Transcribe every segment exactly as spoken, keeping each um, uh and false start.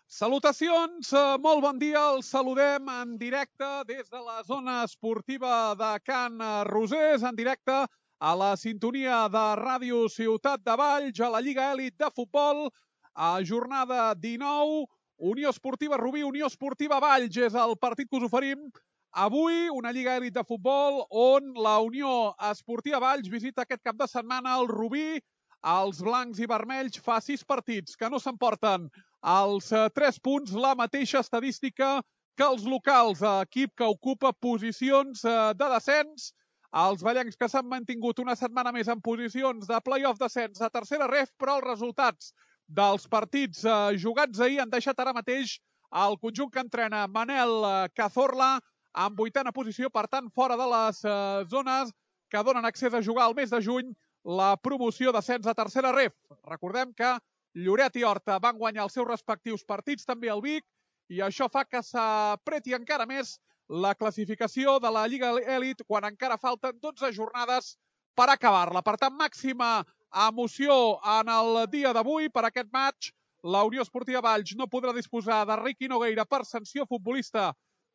Salutacions, eh, molt bon dia, els saludem en directe des de la zona esportiva de Can Rosés, en directe a la sintonia de Ràdio Ciutat de Valls, a la Lliga Elit de Futbol, a jornada dinou, Unió Esportiva Rubí, Unió Esportiva Valls, és el partit que us oferim avui, una Lliga Elit de Futbol on la Unió Esportiva Valls visita aquest cap de setmana el Rubí. Els blancs i vermells fa sis partits que no s'emporten els tres punts, la mateixa estadística que els locals, equip que ocupa posicions de descens. Els ballencs que s'han mantingut una setmana més en posicions de play-off descens a tercera ref, però els resultats dels partits jugats ahir han deixat ara mateix el conjunt que entrena Manel Cazorla en vuitena posició, per tant, fora de les zones que donen accés a jugar al mes de juny la promoció d'ascens a tercera ref. Recordem que Lloret i Horta van guanyar els seus respectius partits, també el Vic, i això fa que s'apreti encara més la classificació de la Lliga Elit quan encara falten dotze jornades per acabar-la. Per tant, màxima emoció en el dia d'avui per aquest match. La Unió Esportiva Valls no podrà disposar de Riqui Nogueira per sanció futbolista,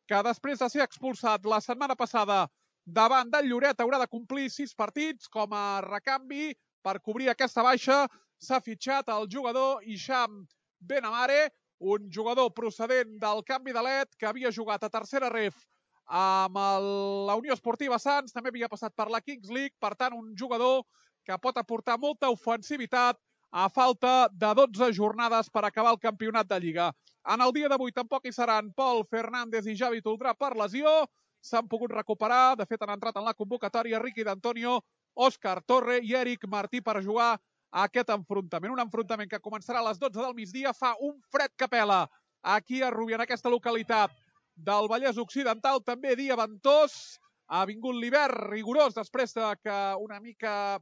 que després de ser expulsat la setmana passada davant del Lloret haurà de complir sis partits. Com a recanvi per cobrir aquesta baixa s'ha fitxat el jugador Hisham Benamare, un jugador procedent del canvi de l'E T que havia jugat a tercera ref amb la Unió Esportiva Sants, també havia passat per la Kings League, per tant un jugador que pot aportar molta ofensivitat a falta de dotze jornades per acabar el campionat de Lliga. En el dia d'avui tampoc hi seran Pol Fernández i Javi Toldrà per lesió, s'han pogut recuperar, de fet han entrat en la convocatòria Riqui d'Antonio, Òscar Torre i Eric Martí per jugar a aquest enfrontament. Un enfrontament que començarà a les dotze del migdia, fa un fred que pela aquí a Rubí, en aquesta localitat del Vallès Occidental, també dia ventós, ha vingut l'hivern rigorós després de que una mica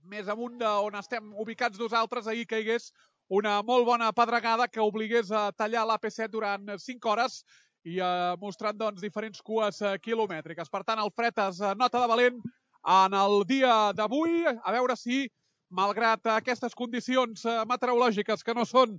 més amunt d'on estem ubicats nosaltres ahir caigués una molt bona pedregada que obligués a tallar l'A P set durant cinc hores i eh, mostrant doncs, diferents cues eh, quilomètriques. Per tant, el fred es nota de valent en el dia d'avui, a veure si, malgrat aquestes condicions eh, meteorològiques que no són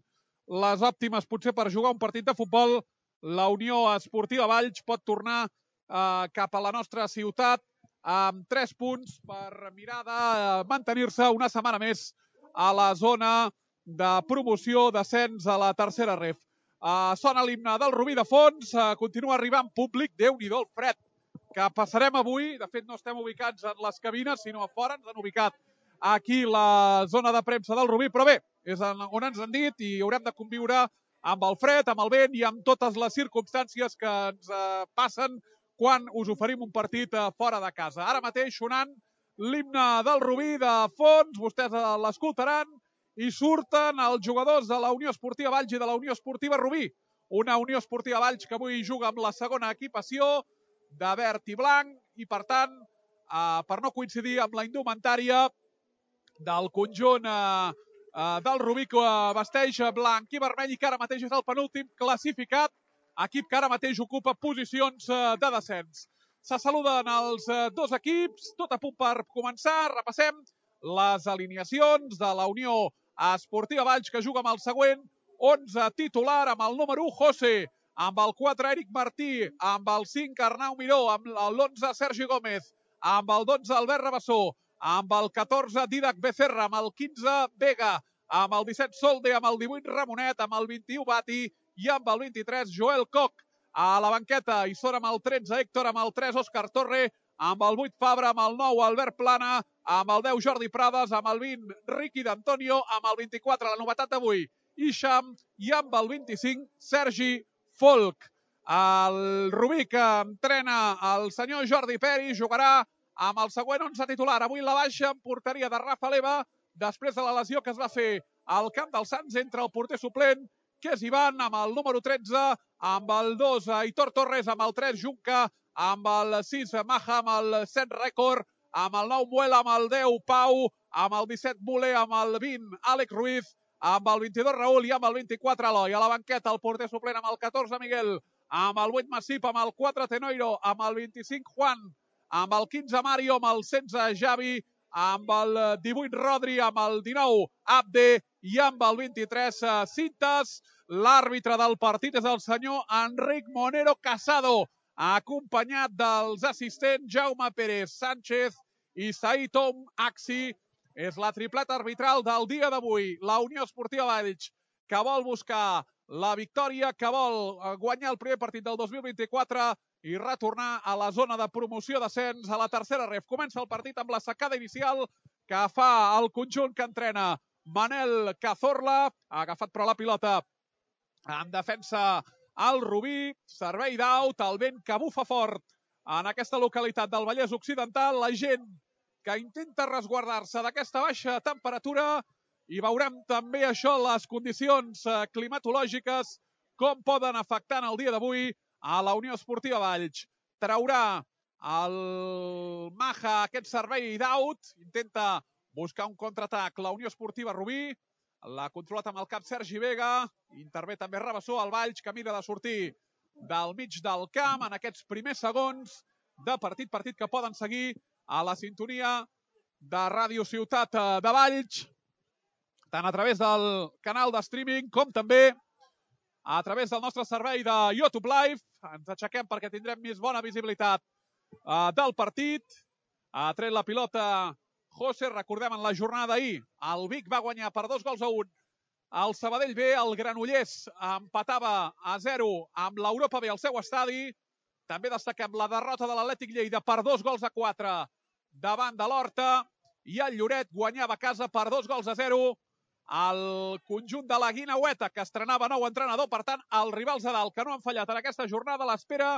les òptimes potser per jugar un partit de futbol, la Unió Esportiva Valls pot tornar eh, cap a la nostra ciutat amb tres punts per mirar de eh, mantenir-se una setmana més a la zona de promoció d'ascens a la tercera ref. Uh, sona l'himne del Rubí de fons, uh, continua arribant públic, Déu-n'hi-do el fred que passarem avui. De fet no estem ubicats en les cabines, sinó a fora, ens han ubicat aquí la zona de premsa del Rubí, però bé, és on ens han dit i haurem de conviure amb el fred, amb el vent i amb totes les circumstàncies que ens uh, passen quan us oferim un partit uh, fora de casa. Ara mateix sonant l'himne del Rubí de fons, vostès uh, l'escoltaran, i surten els jugadors de la Unió Esportiva Valls i de la Unió Esportiva Rubí. Una Unió Esportiva Valls que avui juga amb la segona equipació de verd i blanc i, per tant, eh, per no coincidir amb la indumentària del conjunt eh, eh, del Rubí que vesteix blanc i vermell i que ara mateix és el penúltim classificat, equip que ara mateix ocupa posicions eh, de descens. Se saluden els eh, dos equips, tot a punt per començar, repassem les alineacions de la Unió Esportiva Valls, que juga amb el següent onze titular, amb el número u José, amb el quatre Eric Martí, amb el cinc Arnau Miró, amb l'onze Sergi Gómez, amb el dotze Albert Rabassó, amb el catorze Didac Becerra, amb el quinze Vega, amb el disset Solde, amb el divuit Ramonet, amb el vint-i-u Bati i amb el vint-i-tres Joel Koch. A la banqueta hi són amb el tretze Héctor, amb el tres Òscar Torre, amb el vuit Fabra, amb el nou Albert Plana, amb el deu Jordi Prades, amb el vint Riqui d'Antonio, amb el vint-i-quatre, la novetat d'avui, Hisham, i amb el vint-i-cinc Sergi Folk. El Rubí que entrena el senyor Jordi Peri jugarà amb el següent onze titular. Avui la baixa en porteria de Rafa Leva, després de la lesió que es va fer al camp dels Sants entre el porter suplent, que és Ivan, amb el número tretze, amb el dos Aitor Torres, amb el tres Junca, amb el sis Maja, amb el set Rècord, amb el nou Muela, amb el deu Pau, amb el disset Bule, amb el vint Àlex Ruiz, amb el vint-i-dos Raül i amb el vint-i-quatre Eloi. A la banqueta el porter suplent amb el catorze Miguel, amb el vuit Massip, amb el quatre Tenoiro, amb el vint-i-cinc Juan, amb el quinze Mario, amb el setze Javi, amb el divuit Rodri, amb el dinou Abde i amb el vint-i-tres Cintas. L'àrbitre del partit és el senyor Enric Monero Casado, acompanyat dels assistents Jaume Pérez Sánchez i Said Om Axi. És la tripleta arbitral del dia d'avui. La Unió Esportiva Valls, que vol buscar la victòria, que vol guanyar el primer partit del dos mil vint-i-quatre i retornar a la zona de promoció d'ascens a la tercera ref. Comença el partit amb la secada inicial que fa el conjunt que entrena Manel Cazorla. Ha agafat però la pilota en defensa el Rubí. Servei d'aut, el vent que bufa fort en aquesta localitat del Vallès Occidental. La gent que intenta resguardar-se d'aquesta baixa temperatura, i veurem també això, les condicions climatològiques, com poden afectar en el dia d'avui a la Unió Esportiva Valls. Traurà el Maja aquest servei d'aut, intenta buscar un contraatac la Unió Esportiva Rubí, l'ha controlat amb el cap Sergi Vega, intervé també Rabassó, el Valls que mira de sortir del mig del camp en aquests primers segons de partit, partit que poden seguir a la sintonia de Ràdio Ciutat de Valls, tant a través del canal de streaming com també a través del nostre servei de YouTube Live. Ens aixequem perquè tindrem més bona visibilitat uh, del partit. Ha tret la pilota José. Recordem, en la jornada d'ahir el Vic va guanyar per dos gols a un el Sabadell B, el Granollers empatava a zero amb l'Europa B al seu estadi. També destaquem la derrota de l'Atlètic Lleida per dos gols a quatre davant de l'Horta, i el Lloret guanyava a casa per dos gols a zero el conjunt de la Guinaueta, que estrenava nou entrenador. Per tant, els rivals de dalt que no han fallat en aquesta jornada a l'espera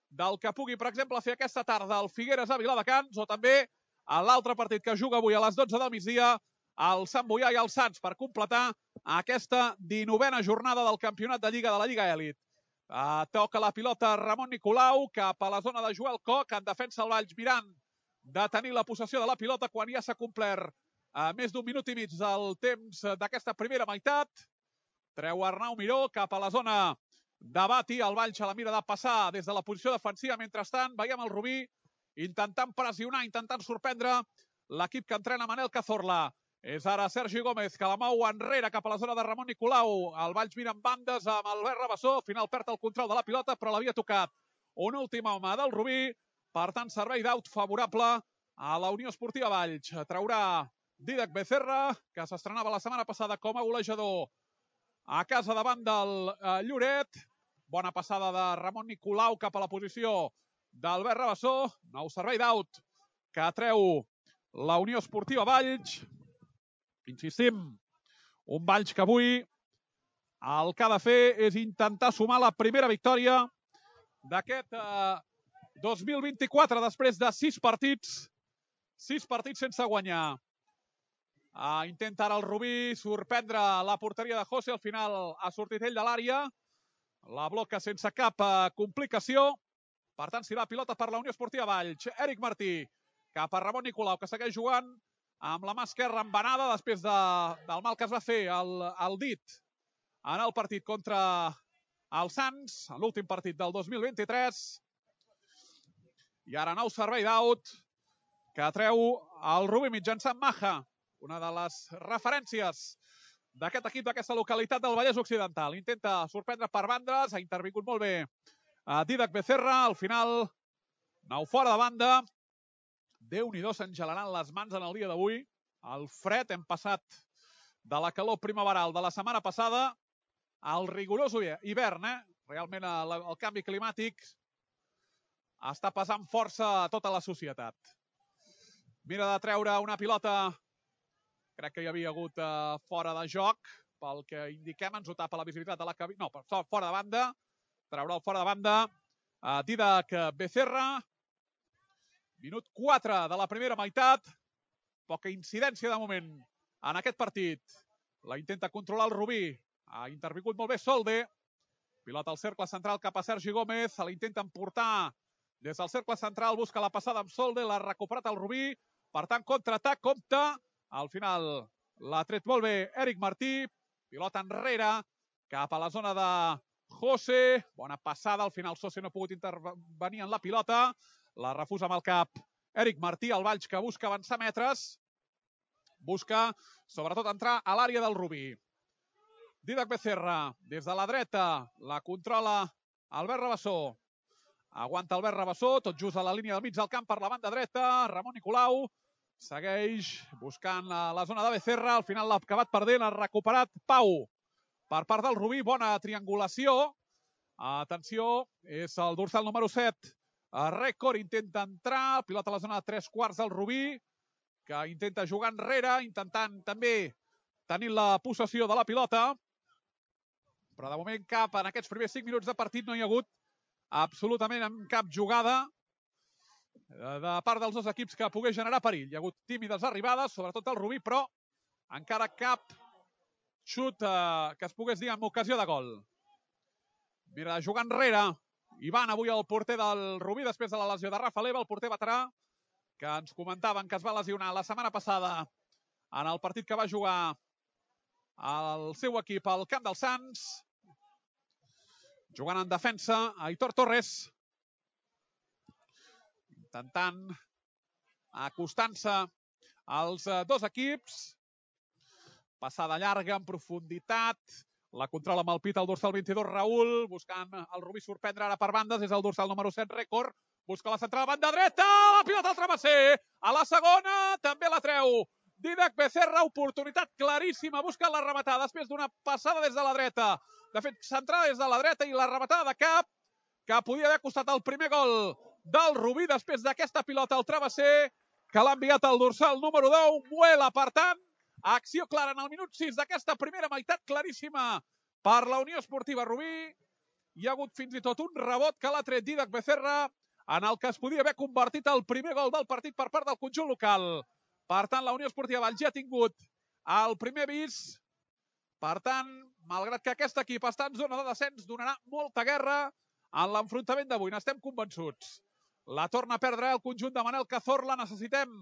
del que pugui, per exemple, fer aquesta tarda el Figueres a Viladecans, o també a l'altre partit que juga avui a les dotze del migdia, el Sant Boià i el Sants, per completar aquesta dinovena jornada del campionat de Lliga de la Lliga Èlit. Uh, toca la pilota Ramon Nicolau cap a la zona de Joel Coc, en defensa el Valls mirant de tenir la possessió de la pilota quan ja s'ha complert uh, més d'un minut i mig del temps d'aquesta primera meitat. Treu Arnau Miró cap a la zona de Bati, el Valls a la mira de passar des de la posició defensiva. Mentrestant veiem el Rubí intentant pressionar, intentant sorprendre l'equip que entrena Manel Cazorla. És ara Sergi Gómez que la mou enrere cap a la zona de Ramon Nicolau. El Valls mira en bandes amb Albert Rabassó. Al final perd el control de la pilota, però l'havia tocat un últim home del Rubí. Per tant, servei d'aut favorable a la Unió Esportiva Valls. Traurà Dídac Becerra, que s'estrenava la setmana passada com a golejador a casa davant del eh, Lloret. Bona passada de Ramon Nicolau cap a la posició d'Albert Rabassó. Nou servei d'aut que treu la Unió Esportiva Valls. Insistim, un Valls que avui el que ha de fer és intentar sumar la primera victòria d'aquest eh, dos mil vint-i-quatre, després de sis partits, sis partits sense guanyar. Uh, intenta ara el Rubí sorprendre la porteria de José, al final ha sortit ell de l'àrea, la bloca sense cap uh, complicació. Per tant, si la pilota per la Unió Esportiva Valls. Eric Martí cap a Ramon Nicolau, que segueix jugant amb la mà esquerra embenada després de, del mal que es va fer el, el dit en el partit contra el Sants, en l'últim partit del dos mil vint-i-tres. I ara nou servei d'aut que treu el Rubí mitjançant Maja, una de les referències d'aquest equip d'aquesta localitat del Vallès Occidental. Intenta sorprendre per bandes, ha intervingut molt bé a Dídac Becerra, al final nou fora de banda. Déu-n'hi-do, s'engelaran les mans en el dia d'avui. El fred, hem passat de la calor primaveral de la setmana passada al rigorós hivern, eh? Realment el, el canvi climàtic està passant força a tota la societat. Mira de treure una pilota, crec que hi havia hagut uh, fora de joc, pel que indiquem, ens ho tapa la visibilitat de la cabina. No, però fora de banda, treurà el fora de banda uh, Dídac Becerra. Minut quatre de la primera meitat. Poca incidència de moment en aquest partit. La intenta controlar el Rubí. Ha intervingut molt bé Solde. Pilota al cercle central cap a Sergi Gómez. Se la intenta emportar des del cercle central. Busca la passada amb Solde. L'ha recuperat el Rubí. Per tant, contraatac, compta. Al final l'ha tret molt bé Eric Martí. Pilota enrere cap a la zona de José. Bona passada. Al final José no ha pogut intervenir en la pilota. La refusa amb el cap Eric Martí, el Valls que busca avançar metres. busca sobretot entrar a l'àrea del Rubí. Dídac Becerra, des de la dreta, la controla Albert Rabassó. Aguanta Albert Rabassó, tot just a la línia del mig del camp per la banda dreta. Ramon Nicolau segueix buscant la zona de Becerra. Al final l'ha acabat perdent, ha recuperat Pau per part del Rubí. Bona triangulació. Atenció, és el dorsal número set. Rècord intenta entrar, pilota a la zona de tres quarts del Rubí, que intenta jugar enrere, intentant també tenir la possessió de la pilota. Però de moment cap, en aquests primers cinc minuts de partit no hi ha hagut absolutament cap jugada de part dels dos equips que pogués generar perill. Hi ha hagut tímides arribades, sobretot el Rubí, però encara cap xut que es pogués dir amb ocasió de gol. Mira, jugant enrere, Ivan avui el porter del Rubí després de la lesió de Rafa Leva, el porter veterà, que ens comentaven que es va lesionar la setmana passada en el partit que va jugar el seu equip al Camp dels Sants. Jugant en defensa, Aitor Torres, intentant acostant-se als dos equips. Passada llarga, en profunditat. La controla amb el pit el dorsal vint-i-dos, Raül, buscant el Rubí sorprendre ara per bandes, és el dorsal número set, Rècord. Busca la centrada, banda dreta, la pilota al travesser. A la segona, també la treu Dídac Becerra, oportunitat claríssima, busca la rematada després d'una passada des de la dreta. De fet, centrada des de la dreta i la rematada de cap, que podia haver costat el primer gol del Rubí després d'aquesta pilota al travesser, que l'ha enviat el dorsal número deu, Muela, per tant, acció clara en el minut sis d'aquesta primera meitat, claríssima per la Unió Esportiva Rubí. Hi ha hagut fins i tot un rebot que l'ha tret Dídac Becerra, en el que es podia haver convertit el primer gol del partit per part del conjunt local. Per tant, la Unió Esportiva Valls ja ha tingut el primer avís. Per tant, malgrat que aquest equip està en zona de descens, donarà molta guerra en l'enfrontament d'avui, n'estem convençuts. La torna a perdre el conjunt de Manel Cazorla. Necessitem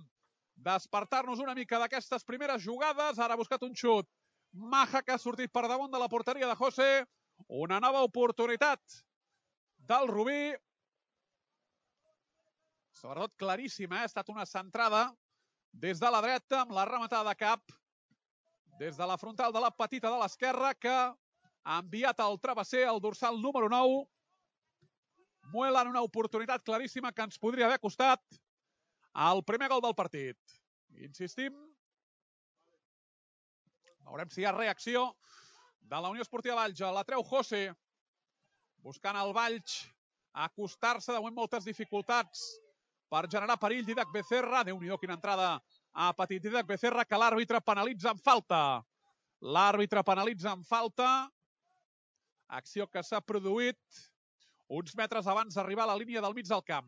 despertar-nos una mica d'aquestes primeres jugades. Ara ha buscat un xut Maja, que ha sortit per damunt de la porteria de José. Una nova oportunitat del Rubí. Sobretot claríssima, eh? Ha estat una centrada des de la dreta amb la rematada de cap des de la frontal de la petita de l'esquerra, que ha enviat al travesser el dorsal número nou. Muela en una oportunitat claríssima que ens podria haver costat el primer gol del partit. Insistim. Veurem si hi ha reacció de la Unió Esportiva Valls. La treu José, buscant el Valls acostar-se. De moment moltes dificultats per generar perill. Dídac Becerra, Déu-n'hi-do quina entrada a petit Dídac Becerra, que l'àrbitre penalitza en falta. L'àrbitre penalitza en falta. Acció que s'ha produït uns metres abans d'arribar a la línia del mig del camp.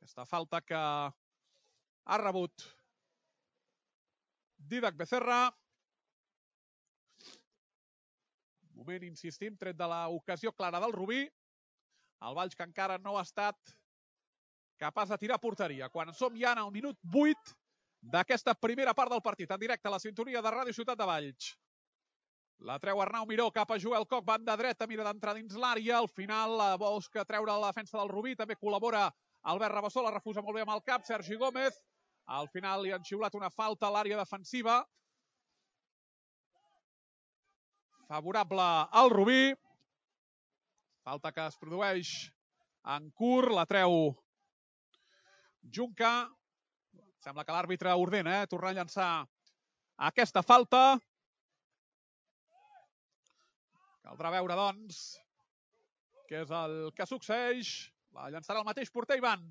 Aquesta falta que ha rebut Dídac Becerra. Moment, insistim, tret de l'ocasió clara del Rubí. El Valls, que encara no ha estat capaç de tirar a porteria. Quan som ja en el minut vuit d'aquesta primera part del partit, en directe a la sintonia de Ràdio Ciutat de Valls. La treu Arnau Miró cap a Joel Coc, banda dreta, mira d'entrar dins l'àrea. Al final busca treure la defensa del Rubí, també col·labora Albert Rabassó, la refusa molt bé amb el cap, Sergi Gómez. Al final li han xiulat una falta a l'àrea defensiva. Favorable al Rubí. Falta que es produeix en curt, la treu Junca. Sembla que l'àrbitre ordena, eh? Tornar a llançar aquesta falta. Caldrà veure, doncs, què és el que succeeix. La llançarà el mateix porter Ivan.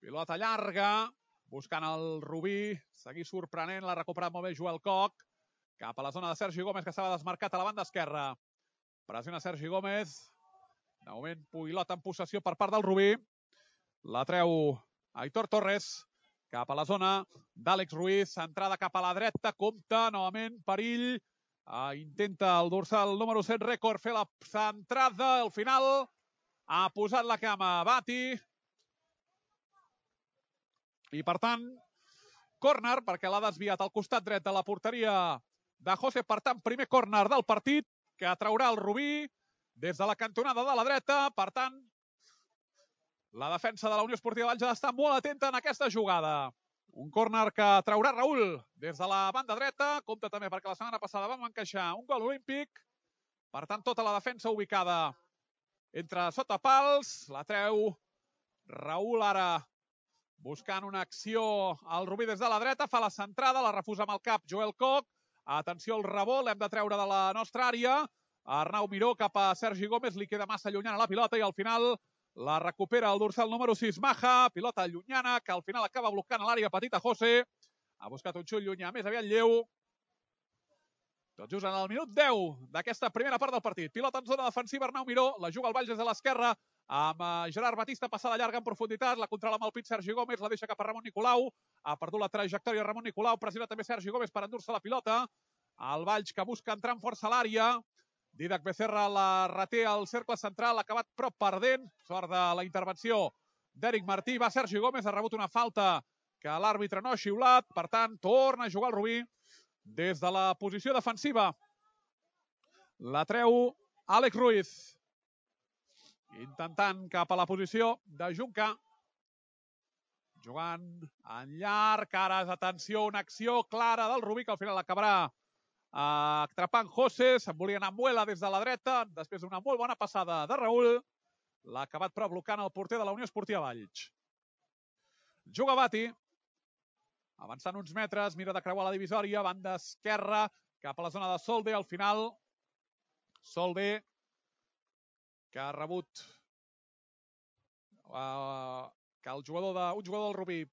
Pilota llarga, buscant el Rubí. Seguir sorprenent, l'ha recuperat molt bé Joel Coc. Cap a la zona de Sergi Gómez, que estava desmarcat a la banda esquerra. Pressiona Sergi Gómez. De moment, pilota en possessió per part del Rubí. La treu Aitor Torres. Cap a la zona d'Àlex Ruiz. Centrada cap a la dreta. Compte, novament, perill. Uh, intenta el dorsal número set, Rècord, fer la centrada. Al final ha posat la cama Bati. I, per tant, córner, perquè l'ha desviat al costat dret de la porteria de José. Per tant, primer córner del partit, que traurà el Rubí des de la cantonada de la dreta. Per tant, La defensa de la Unió Esportiva Valls ha d'estar molt atenta en aquesta jugada. Un córner que traurà Raül des de la banda dreta. Compte també perquè la setmana passada vam encaixar un gol olímpic. Per tant, tota la defensa ubicada entre sota pals. La treu Raül ara buscant una acció al Rubí des de la dreta. Fa la centrada, la refusa amb el cap Joel Koch. Atenció al rebot, l'hem de treure de la nostra àrea. Arnau Miró cap a Sergi Gómez, li queda massa llunyana la pilota i al final la recupera el dorsal número sis, Maja. Pilota llunyana que al final acaba blocant a l'àrea petita José. Ha buscat un xut llunyà, més aviat lleu. Tot just en el minut deu d'aquesta primera part del partit. Pilota en zona defensiva, Arnau Miró. La juga el Valls des de l'esquerra amb Gerard Batista, passada llarga en profunditat. La controla amb el pit Sergi Gómez, la deixa cap a Ramon Nicolau. Ha perdut la trajectòria Ramon Nicolau. Pressiona també Sergi Gómez per endur-se la pilota. El Valls que busca entrar amb força a l'àrea. Didac Becerra la reté al cercle central, ha acabat prop perdent. Sort de la intervenció d'Eric Martí. Va Sergi Gómez, ha rebut una falta que l'àrbitre no ha xiulat. Per tant, torna a jugar el Rubí des de la posició defensiva. La treu Àlex Ruiz. Intentant cap a la posició de Junca. Jugant en llarg. Ara, atenció, una acció clara del Rubí que al final acabarà atrapant José. Se'n volia anar amb Muela des de la dreta. Després d'una molt bona passada de Raül. L'ha acabat però blocant el porter de la Unió Esportiva Valls. Juga Bati. Avançant uns metres, mira de creuar la divisòria. Banda esquerra cap a la zona de Solde. Al final, Solde que ha rebut uh, que el jugador de, un jugador del Rubí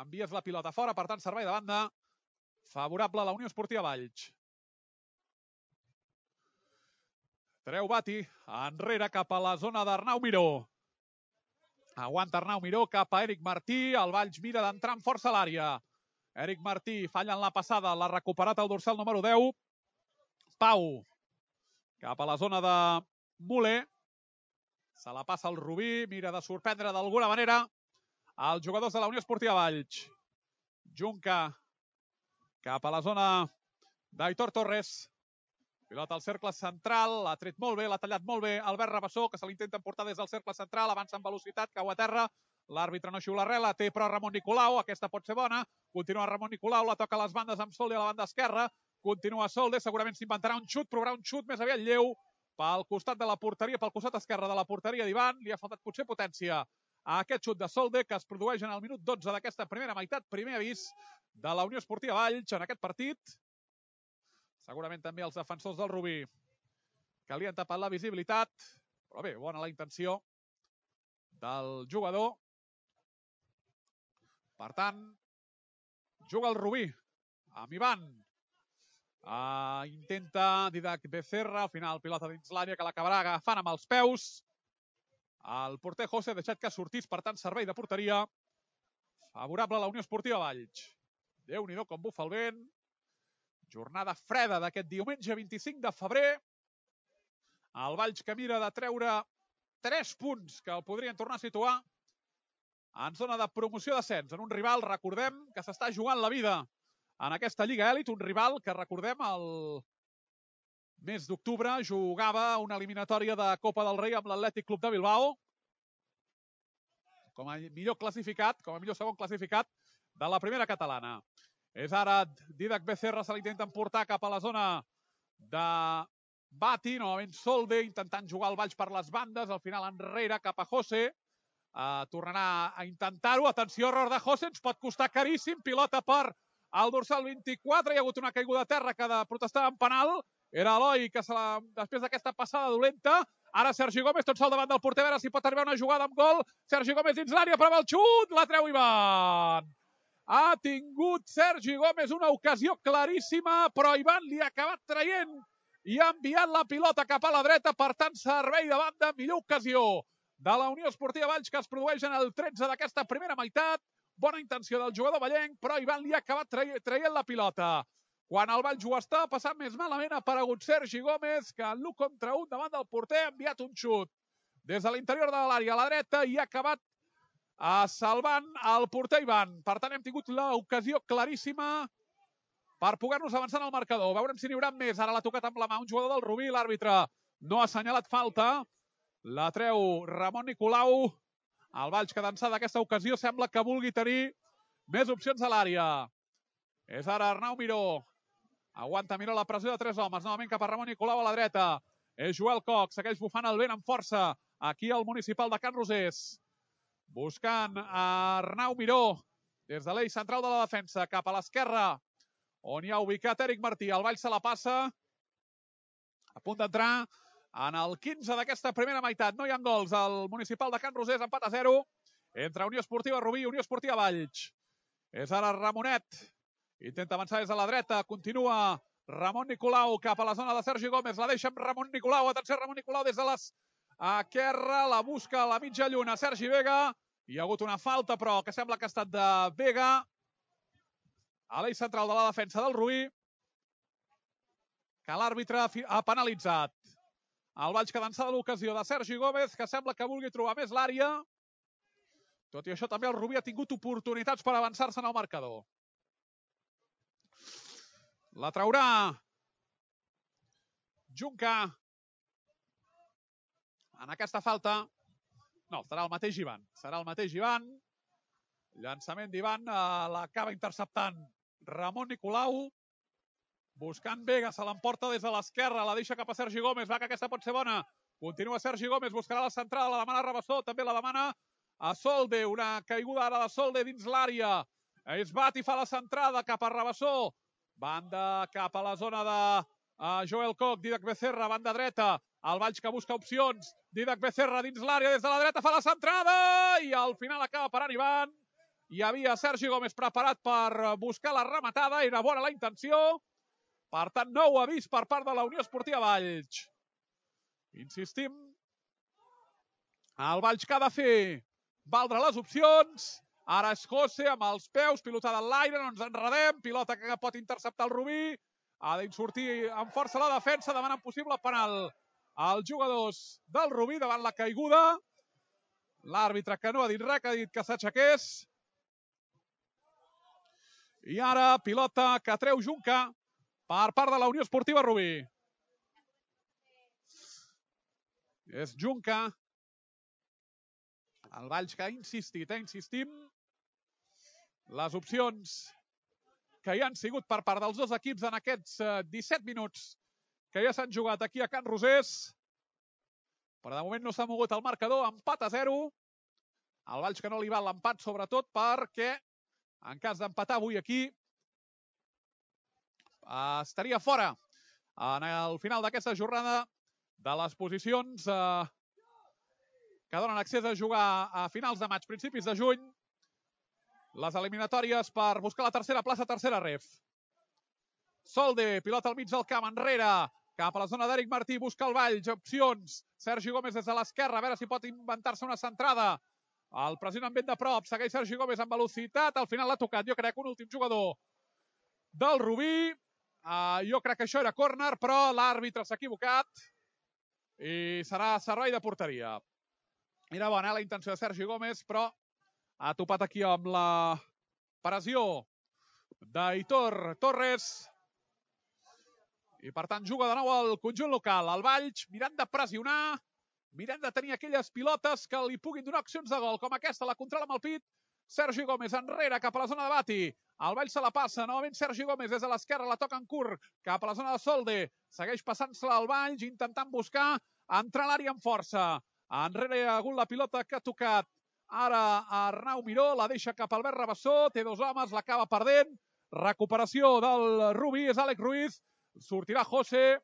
envies la pilota fora. Per tant, servei de banda favorable a la Unió Esportiva Valls. Treu Bati enrere cap a la zona d'Arnau Miró. Aguanta Arnau Miró cap a Eric Martí. El Valls mira d'entrar amb força a l'àrea. Eric Martí falla en la passada. L'ha recuperat el dorsal número deu. Pau cap a la zona de Muller. Se la passa el Rubí. Mira de sorprendre d'alguna manera els jugadors de la Unió Esportiva Valls. Junca cap a la zona d'Aitor Torres. Pilota al cercle central, l'ha tret molt bé, l'ha tallat molt bé Albert Rabassó, que se l'intenta emportar des del cercle central, avança amb velocitat, cau a terra, l'àrbitre no xiula res, la té però Ramon Nicolau, aquesta pot ser bona, continua Ramon Nicolau, la toca a les bandes amb Solde a la banda esquerra, continua Solde, segurament s'inventarà un xut, provarà un xut més aviat lleu pel costat de la porteria, pel costat esquerre de la porteria d'Ivan, li ha faltat potser potència a aquest xut de Solde, que es produeix en el minut dotze d'aquesta primera meitat, primer avís de la Unió Esportiva Valls en aquest partit. Segurament també els defensors del Rubí que li han tapat la visibilitat. Però bé, bona la intenció del jugador. Per tant, juga el Rubí amb Ivan. Uh, intenta Didac Becerra, al final pilota dins l'àrea que l'acabarà agafant amb els peus. El porter José ha deixat que sortís, per tant, servei de porteria favorable a la Unió Esportiva Valls. Déu-n'hi-do com bufa el vent. Jornada freda d'aquest diumenge vint-i-cinc de febrer. El Valls que mira de treure tres punts que el podrien tornar a situar en zona de promoció d'ascens. En un rival, recordem, que s'està jugant la vida en aquesta Lliga Elit. Un rival que, recordem, el mes d'octubre jugava una eliminatòria de Copa del Rei amb l'Atlètic Club de Bilbao com a millor classificat, com a millor segon classificat de la primera catalana. És ara Didac Becerra, se l'intenta emportar cap a la zona de Bati, novament Solde, intentant jugar el Valls per les bandes, al final enrere cap a José, uh, tornarà a intentar-ho, atenció, error de José, ens pot costar caríssim, pilota per al dorsal vint-i-quatre, hi ha hagut una caiguda a terra que de protestar en penal, era Eloi que se la, després d'aquesta passada dolenta, ara Sergi Gómez, tot sol davant del porter, a veure si pot arribar una jugada amb gol, Sergi Gómez dins l'àrea, prova el xut, la treu Ivan. Ha tingut Sergi Gómez una ocasió claríssima, però Ivan li ha acabat traient i ha enviat la pilota cap a la dreta, per tant, servei de banda, millor ocasió de la Unió Esportiva Valls que es produeix en el tretze d'aquesta primera meitat. Bona intenció del jugador vallenc, però Ivan li ha acabat traient la pilota. Quan el Valls ho està passant més malament, ha aparegut Sergi Gómez, que en l'u contra un davant del porter ha enviat un xut des de l'interior de l'àrea a la dreta i ha acabat Uh, salvant el porter Ivan. Per tant, hem tingut l'ocasió claríssima per poder-nos avançar en el marcador. Veurem si n'hi haurà més. Ara l'ha tocat amb la mà un jugador del Rubí. L'àrbitre no ha assenyalat falta. La treu Ramon Nicolau. El Valls, que d'ençà d'aquesta ocasió sembla que vulgui tenir més opcions a l'àrea. És ara Arnau Miró. Aguanta Miró la pressió de tres homes. Novament cap a Ramon Nicolau a la dreta. És Joel Coc. Segueix bufant el vent amb força. Aquí al municipal de Can Rosés. Buscant a Arnau Miró. Des de l'eix central de la defensa. Cap a l'esquerra. On hi ha ubicat Eric Martí. El Valls se la passa. A punt d'entrar en el quinze d'aquesta primera meitat. No hi ha gols. El municipal de Can Rosés, empat a zero. Entre Unió Esportiva Rubí i Unió Esportiva Valls. És ara Ramonet. Intenta avançar des de la dreta. Continua Ramon Nicolau cap a la zona de Sergi Gómez. La deixa amb Ramon Nicolau. Atenció, Ramon Nicolau des de l'esquerra. La busca a la mitja lluna. Sergi Vega. Hi ha hagut una falta, però que sembla que ha estat de Vega. A l'eix central de la defensa del Rubí. Que l'àrbitre ha penalitzat. El Valls que d'ençà de l'ocasió de Sergi Gómez, que sembla que vulgui trobar més l'àrea. Tot i això, també el Rubí ha tingut oportunitats per avançar-se en el marcador. La traurà Junca. En aquesta falta, no, serà el mateix Ivan. Serà el mateix Ivan. Llançament d'Ivan, l'acaba interceptant Ramon Nicolau. Buscant Vega, se l'emporta des de l'esquerra, la deixa cap a Sergi Gómez. Va, que aquesta pot ser bona. Continua Sergi Gómez, buscarà la centrada, la demana Rabassó, també la demana a Solde, una caiguda ara de Solde dins l'àrea. Es bat i fa la centrada cap a Rabassó. Banda cap a la zona de uh, Joel Coc, Didac Becerra, banda dreta. El Valls que busca opcions. Didac Becerra dins l'àrea, des de la dreta fa la centrada i al final acaba parant Ivan. Hi havia Sergi Gómez preparat per buscar la rematada, era bona la intenció. Per tant, nou avís per part de la Unió Esportiva Valls. Insistim. El Valls que ha de fer valdre les opcions. Ara és José amb els peus, pilotada en l'aire, no ens enredem. Pilota que pot interceptar el Rubí. Ha d'insortir amb força la defensa, demanant possible penal als jugadors del Rubí davant la caiguda. L'àrbitre que no ha dit res, que ha dit que s'aixequés. I ara pilota que treu Junca per part de la Unió Esportiva Rubí. És Junca. El Valls que ha insistit, eh? Insistim. Les opcions que hi han sigut per part dels dos equips en aquests disset minuts que ja s'han jugat aquí a Can Rosés. Però de moment no s'ha mogut el marcador, empat a zero. El Valls que no li val l'empat, sobretot perquè en cas d'empatar avui aquí estaria fora en el final d'aquesta jornada de les posicions eh, que donen accés a jugar a finals de maig, principis de juny, les eliminatòries per buscar la tercera plaça, tercera ref. Solde, pilota al mig del camp, enrere, cap a la zona d'Eric Martí, busca el Valls, opcions. Sergi Gómez des de l'esquerra, a veure si pot inventar-se una centrada. El pressiona amb vent de prop, segueix Sergi Gómez amb velocitat, al final l'ha tocat, jo crec, un últim jugador del Rubí. Uh, jo crec que això era córner, però l'àrbitre s'ha equivocat i serà servei de porteria. Era bona eh, la intenció de Sergi Gómez, però ha topat aquí amb la pressió d'Aitor Torres. I per tant juga de nou el conjunt local. El Valls mirant de pressionar, mirant de tenir aquelles pilotes que li puguin donar opcions de gol, com aquesta, la controla amb el pit. Sergi Gómez enrere cap a la zona de Bati. El Valls se la passa, novament Sergi Gómez des de l'esquerra, la toca en curt cap a la zona de Solde. Segueix passant-se-la al Valls, intentant buscar entrar a l'àrea amb força. Enrere hi ha hagut la pilota que ha tocat ara Arnau Miró, la deixa cap a Albert Rabassó, té dos homes, l'acaba perdent. Recuperació del Rubí, és Àlex Ruiz. Sortirà José,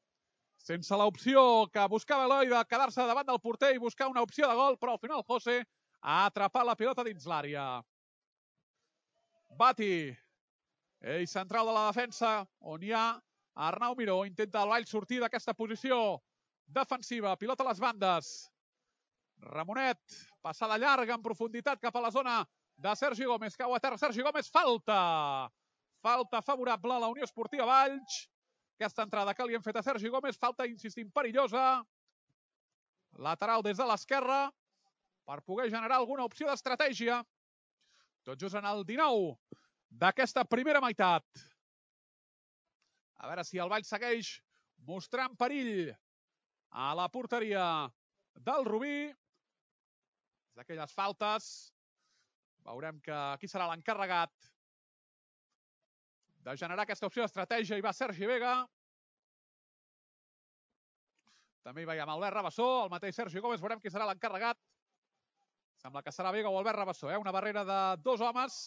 sense l'opció que buscava Eloi de quedar-se davant del porter i buscar una opció de gol, però al final José ha atrapat la pilota dins l'àrea. Bati, ell central de la defensa, on hi ha Arnau Miró, intenta el Valls sortir d'aquesta posició defensiva, pilota a les bandes. Ramonet, passada llarga en profunditat cap a la zona de Sergi Gómez, cau a terra Sergi Gómez, falta! Falta favorable a la Unió Esportiva Valls. Aquesta entrada que li hem fet a Sergi Gómez, falta, insistim, perillosa. Lateral des de l'esquerra per poder generar alguna opció d'estratègia. Tot just en el dinou d'aquesta primera meitat. A veure si el Valls segueix mostrant perill a la porteria del Rubí. d'aquelles faltes. Veurem que aquí serà l'encarregat de generar aquesta opció d'estratègia. Hi va Sergi Vega. També hi veiem Albert Rabassó, el mateix Sergi Gómez. Veurem qui serà l'encarregat. Sembla que serà Vega o Albert Rabassó, eh? Una barrera de dos homes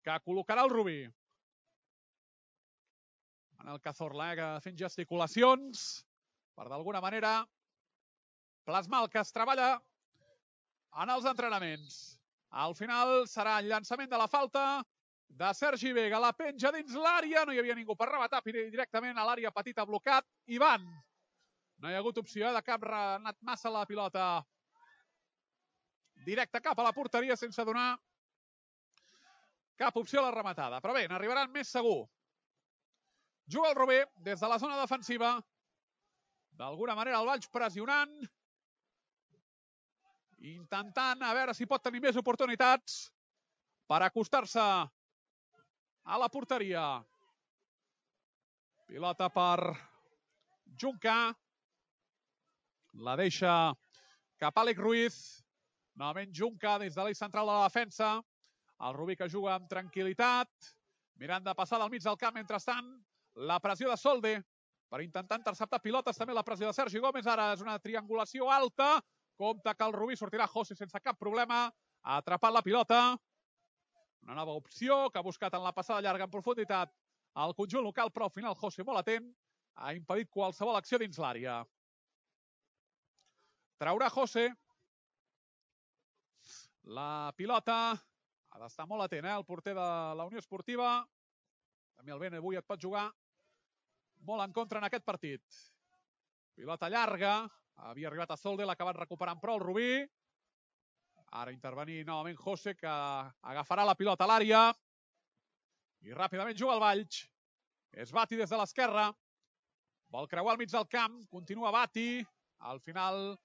que col·locarà el Rubí. Manel Cazorla, eh, fent gesticulacions per d'alguna manera plasmar el que es treballa en els entrenaments. Al final serà el llançament de la falta de Sergi Vega. La penja dins l'àrea, no hi havia ningú per rematar directament a l'àrea petita blocat. Ivan, no hi ha hagut opció de cap, ha anat massa la pilota directe cap a la porteria sense donar cap opció a la rematada. Però bé, n'arribaran més segur. Juga el Rubí des de la zona defensiva. D'alguna manera el Valls pressionant. Intentant a veure si pot tenir més oportunitats per acostar-se a la porteria. Pilota per Junca. La deixa cap a Àlex Ruiz. Novament Junca des de l'eix central de la defensa. El Rubí que juga amb tranquil·litat. Mirant de passar del mig del camp. Mentrestant, la pressió de Solde per intentar interceptar pilotes. També la pressió de Sergi Gómez. Ara és una triangulació alta. Compte que el Rubí sortirà José sense cap problema. Ha atrapat la pilota. Una nova opció que ha buscat en la passada llarga en profunditat el conjunt local, però al final José molt atent. Ha impedit qualsevol acció dins l'àrea. Traurà José. La pilota. Ha d'estar molt atent, eh? El porter de la Unió Esportiva. També el Bene avui et pot jugar molt en contra en aquest partit. Pilota llarga. Havia arribat a Solde, l'ha acabat recuperant prou el Rubí. Ara intervenir novament José, que agafarà la pilota a l'àrea. I ràpidament juga el Valls. És Bati des de l'esquerra. Vol creuar al mig del camp. Continua Bati. Al final,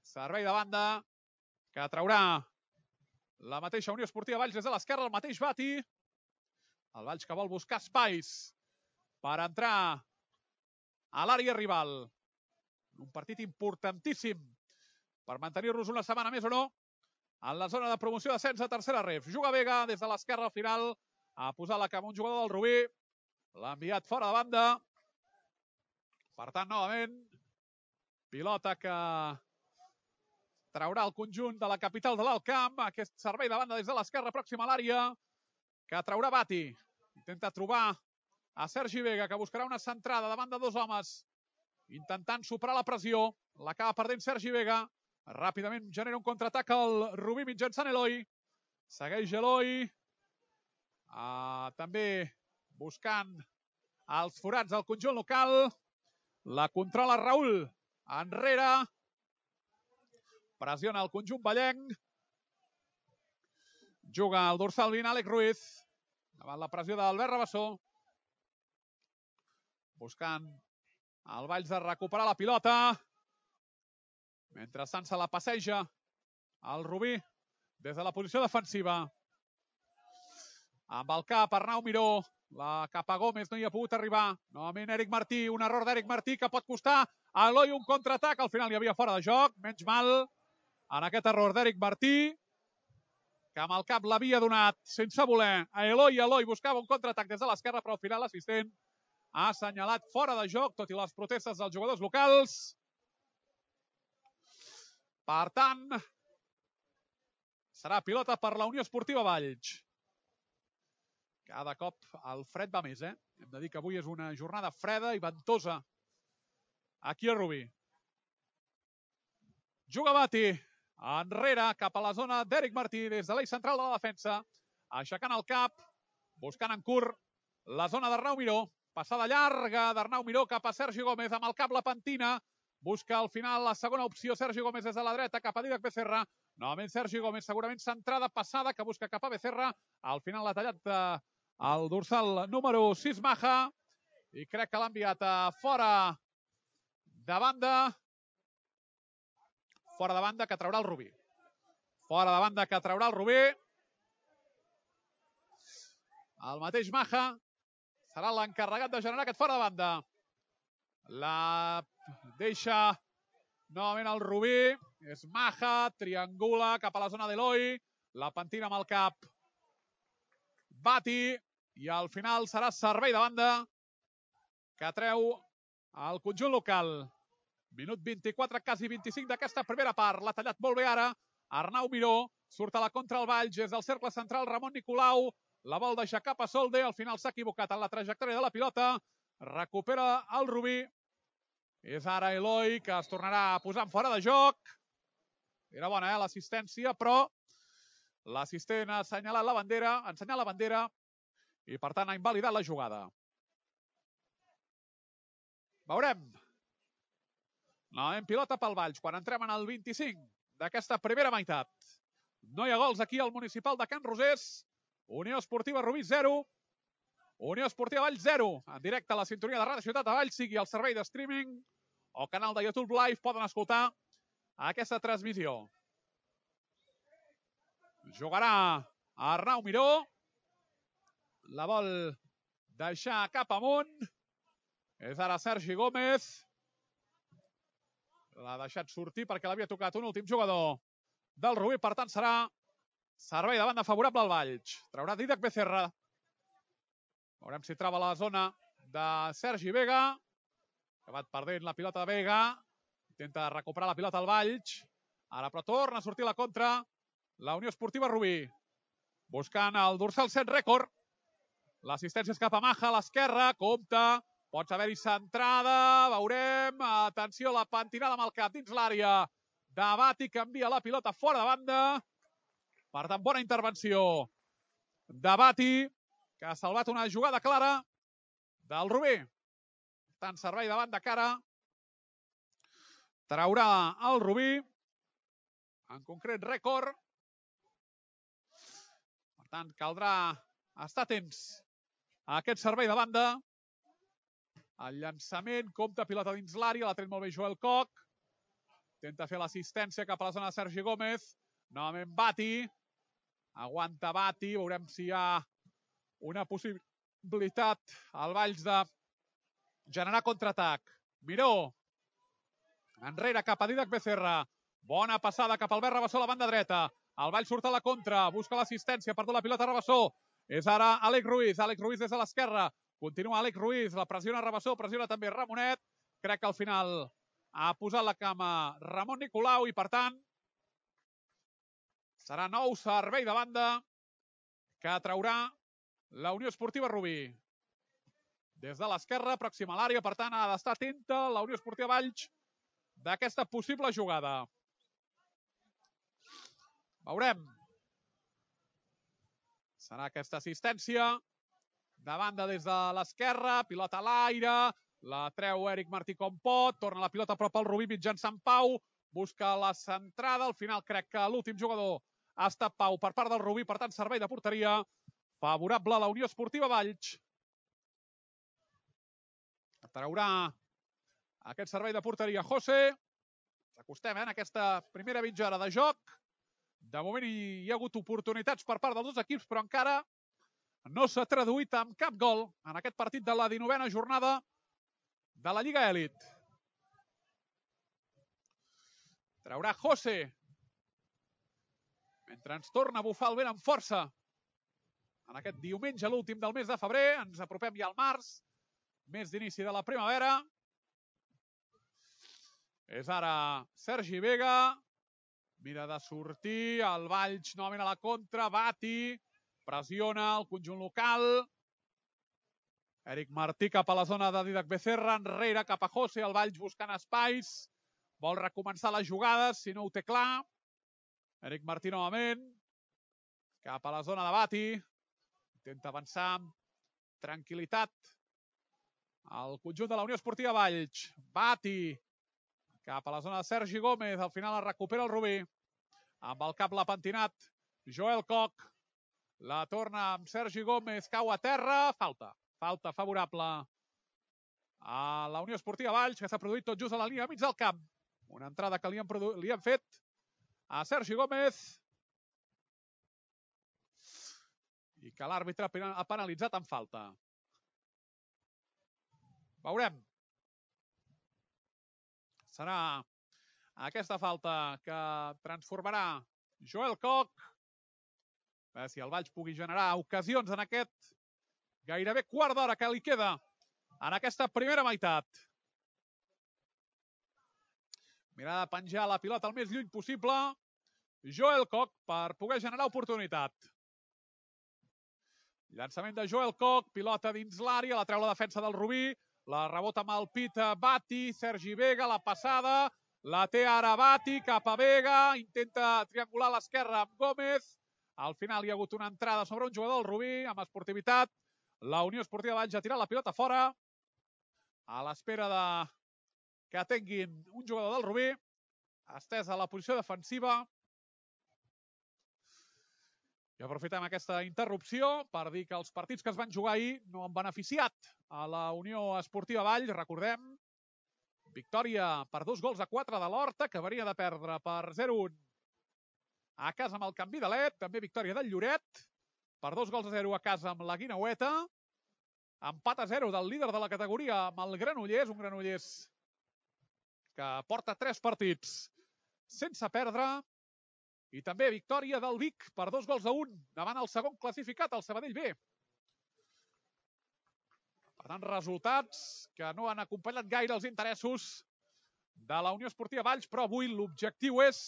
servei de banda que traurà la mateixa Unió Esportiva Valls des de l'esquerra. El mateix Bati. El Valls que vol buscar espais per entrar a l'àrea rival. Un partit importantíssim per mantenir-nos una setmana més o no en la zona de promoció d'ascens a tercera ref. Juga Vega des de l'esquerra al final. Ha posat la cama un jugador del Rubí. L'ha enviat fora de banda. Per tant, novament, pilota que traurà el conjunt de la capital de l'Alt Camp. Aquest servei de banda des de l'esquerra pròxima a l'àrea que traurà Bati. Intenta trobar a Sergi Vega, que buscarà una centrada davant de dos homes. Intentant superar la pressió. L'acaba perdent Sergi Vega. Ràpidament genera un contraatac al Rubí mitjançant Eloi. Segueix Eloi. Uh, també buscant els forats del conjunt local. La controla Raül. Enrere. Pressiona el conjunt ballenc. Juga el dorsal vint, Àlex Ruiz. Davant la pressió d'Albert Rabassó. Buscant el Valls de recuperar la pilota. Mentrestant se la passeja el Rubí des de la posició defensiva. Amb el cap Arnau Miró. La cap a Gómez no hi ha pogut arribar. Novament Eric Martí. Un error d'Eric Martí que pot costar a Eloi un contraatac. Al final hi havia fora de joc. Menys mal en aquest error d'Eric Martí, que amb el cap l'havia donat sense voler a Eloi. Eloi buscava un contraatac des de l'esquerra, però al final l'assistent ha assenyalat fora de joc, tot i les protestes dels jugadors locals. Per tant, serà pilota per la Unió Esportiva Valls. Cada cop el fred va més, eh? Hem de dir que avui és una jornada freda i ventosa aquí a Rubí. Juga Bati. Enrere, cap a la zona d'Eric Martí, des de l'eix central de la defensa. Aixecant el cap, buscant en curt la zona d'Arnau Miró. Passada llarga d'Arnau Miró cap a Sergi Gómez, amb el cap la pentina. Busca al final la segona opció, Sergi Gómez des de la dreta, cap a Dídac Becerra. Novament Sergi Gómez, segurament centrada, passada, que busca cap a Becerra. Al final l'ha tallat eh, el dorsal número sis, Maja. I crec que l'ha enviat a fora de banda. Fora de banda que traurà el Rubí. Fora de banda que traurà el Rubí. El mateix Maja serà l'encarregat de generar aquest fora de banda. La deixa Novament el Rubí, és Maja, triangula cap a la zona d'Eloi, la pentina amb el cap Bati, i al final serà servei de banda que treu el conjunt local. Minut vint-i-quatre, quasi vint-i-cinc d'aquesta primera part. L'ha tallat molt bé ara Arnau Miró. Surt a la contra el Valls, des del cercle central Ramon Nicolau. La vol deixar cap a Solde. Al final s'ha equivocat en la trajectòria de la pilota. Recupera el Rubí. És ara Eloi, que es tornarà a posar fora de joc. Era bona, eh, l'assistència, però l'assistent ha assenyalat la bandera, ha ensenyat la bandera i, per tant, ha invalidat la jugada. Veurem. Novament pilota pel Valls, quan entrem en el vint-i-cinc d'aquesta primera meitat. No hi ha gols aquí al municipal de Can Rosés. Unió Esportiva Rubí zero. Unió Esportiva Valls zero. En directe a la sintonia de Ràdio Ciutat de Valls, sigui el servei de streaming o canal de YouTube Live, poden escoltar aquesta transmissió. Jugarà Arnau Miró. La vol deixar cap amunt. És ara Sergi Gómez. L'ha deixat sortir perquè l'havia tocat un últim jugador del Rubí. Per tant, serà servei de banda favorable al Valls. Traurà Dídac Becerra. Veurem si troba la zona de Sergi Vega. Ha acabat perdent la pilota de Vega. Intenta recuperar la pilota al Valls. Ara, però, torna a sortir la contra la Unió Esportiva Rubí. Buscant el dorsal set rècord. L'assistència és cap a Maja, a l'esquerra. Compte. Pot haver-hi centrada. Veurem. Atenció, la pentinada amb el cap dins l'àrea. Bati canvia la pilota fora de banda. Per tant, bona intervenció de Bati, que ha salvat una jugada clara del Rubí. Tant servei de banda cara. Traurà el Rubí. En concret, rècord. Per tant, caldrà estar atents a aquest servei de banda. El llançament, compta, pilota dins l'àrea, l'ha tret molt bé Joel Koch. Intenta fer l'assistència cap a la zona de Sergi Gómez. Novament Bati. Aguanta Bati. Veurem si hi ha una possibilitat al Valls de generar contraatac. Miró. Enrere cap a Dídac Becerra. Bona passada cap al Albert Rabassó a la banda dreta. El Valls surt a la contra. Busca l'assistència. Perdó la pilota Rabassó. És ara Àlex Ruiz. Àlex Ruiz des de l'esquerra. Continua Àlex Ruiz. La pressiona Rabassó. Pressiona també Ramonet. Crec que al final ha posat la cama Ramon Nicolau i, per tant, serà nou servei de banda que traurà la Unió Esportiva Rubí. Des de l'esquerra, pròxima a l'àrea, per tant, ha d'estar atenta la Unió Esportiva Valls d'aquesta possible jugada. Veurem. Serà aquesta assistència. De banda des de l'esquerra, pilota a l'aire. La treu Eric Martí com pot. Torna la pilota a prop al Rubí mitjançant Pau. Busca la centrada. Al final crec que l'últim jugador ha estat Pau per part del Rubí. Per tant, servei de porteria favorable a la Unió Esportiva Valls. Traurà aquest servei de porteria José. Acostem eh, en aquesta primera mitja hora de joc. De moment hi ha hagut oportunitats per part dels dos equips, però encara no s'ha traduït amb cap gol en aquest partit de la dinovena jornada de la Lliga Elit. Traurà José. Mentre ens torna a bufar el vent amb força en aquest diumenge, l'últim del mes de febrer. Ens apropem ja al març, mes d'inici de la primavera. És ara Sergi Vega. Mira de sortir. El Valls novament a la contra. Bati. Pressiona el conjunt local. Eric Martí cap a la zona de Dídac Becerra. Enrere cap a José. El Valls buscant espais. Vol recomençar les jugades, si no ho té clar. Eric Martí novament. Cap a la zona de Bati. Intenta avançar amb tranquil·litat el conjunt de la Unió Esportiva Valls. Bati. Cap a la zona de Sergi Gómez. Al final la recupera el Rubí. Amb el cap l'ha pentinat Joel Koch. La torna amb Sergi Gómez. Cau a terra. Falta. Falta favorable a la Unió Esportiva Valls, que s'ha produït tot just a la línia mig del camp. Una entrada que li han, li han fet a Sergi Gómez i que l'àrbitre ha penalitzat amb falta. Veurem. Serà aquesta falta que transformarà Joel Koch. A veure si el Valls pugui generar ocasions en aquest gairebé quart d'hora que li queda en aquesta primera meitat. Mirada de penjar la pilota el més lluny possible. Joel Koch per poder generar oportunitat. Llançament de Joel Koch, pilota dins l'àrea, la treu la defensa del Rubí, la rebota amb el pit Bati, Sergi Vega, la passada, la té ara Bati, cap a Vega, intenta triangular a l'esquerra amb Gómez. Al final hi ha hagut una entrada sobre un jugador del Rubí, amb esportivitat. La Unió Esportiva Valls ha tirat la pilota fora, a l'espera de que atenguin un jugador del Rubí, estès a la posició defensiva. I aprofitem aquesta interrupció per dir que els partits que es van jugar ahir no han beneficiat a la Unió Esportiva Valls. Recordem, victòria per dos gols a quatre de l'Horta, que venia de perdre per zero a un a casa amb el Canvi de Let. També victòria del Lloret per dos gols a zero a casa amb la Guineueta. Empat a zero del líder de la categoria amb el Granollers, un Granollers que porta tres partits sense perdre. I també victòria del Vic per dos gols a un davant el segon classificat, el Sabadell B. Per tant, resultats que no han acompanyat gaire els interessos de la Unió Esportiva Valls, però avui l'objectiu és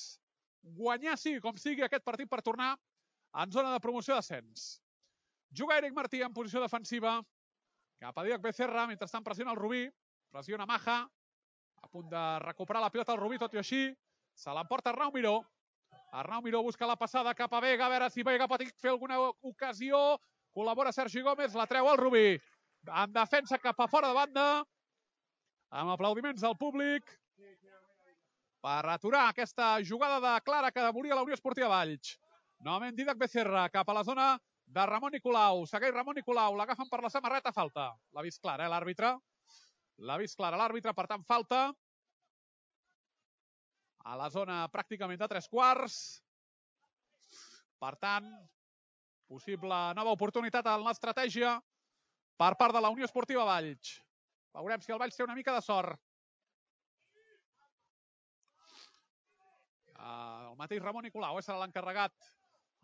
guanyar, sigui com sigui, aquest partit per tornar en zona de promoció d'ascens. Juga Eric Martí en posició defensiva, cap a Díaz Becerra, mentrestant pressiona el Rubí, pressiona Maja, a punt de recuperar la pilota el Rubí, tot i així, se l'emporta Arnau Miró. Arnau Miró busca la passada cap a Vega, a veure si Vega pot fer alguna ocasió. Col·labora Sergi Gómez, la treu al Rubí. En defensa cap a fora de banda, amb aplaudiments del públic, per aturar aquesta jugada de clara que volia la Unió Esportiva Valls. Novament Dídac Becerra cap a la zona de Ramon Nicolau. Segueix Ramon Nicolau, l'agafen per la samarreta, falta. L'ha vist clara, eh, l'àrbitre. L'ha vist clara l'àrbitre, per tant, falta. A la zona pràcticament de tres quarts. Per tant, possible nova oportunitat en l'estratègia per part de la Unió Esportiva Valls. Veurem si el Valls té una mica de sort. El mateix Ramon Nicolau serà l'encarregat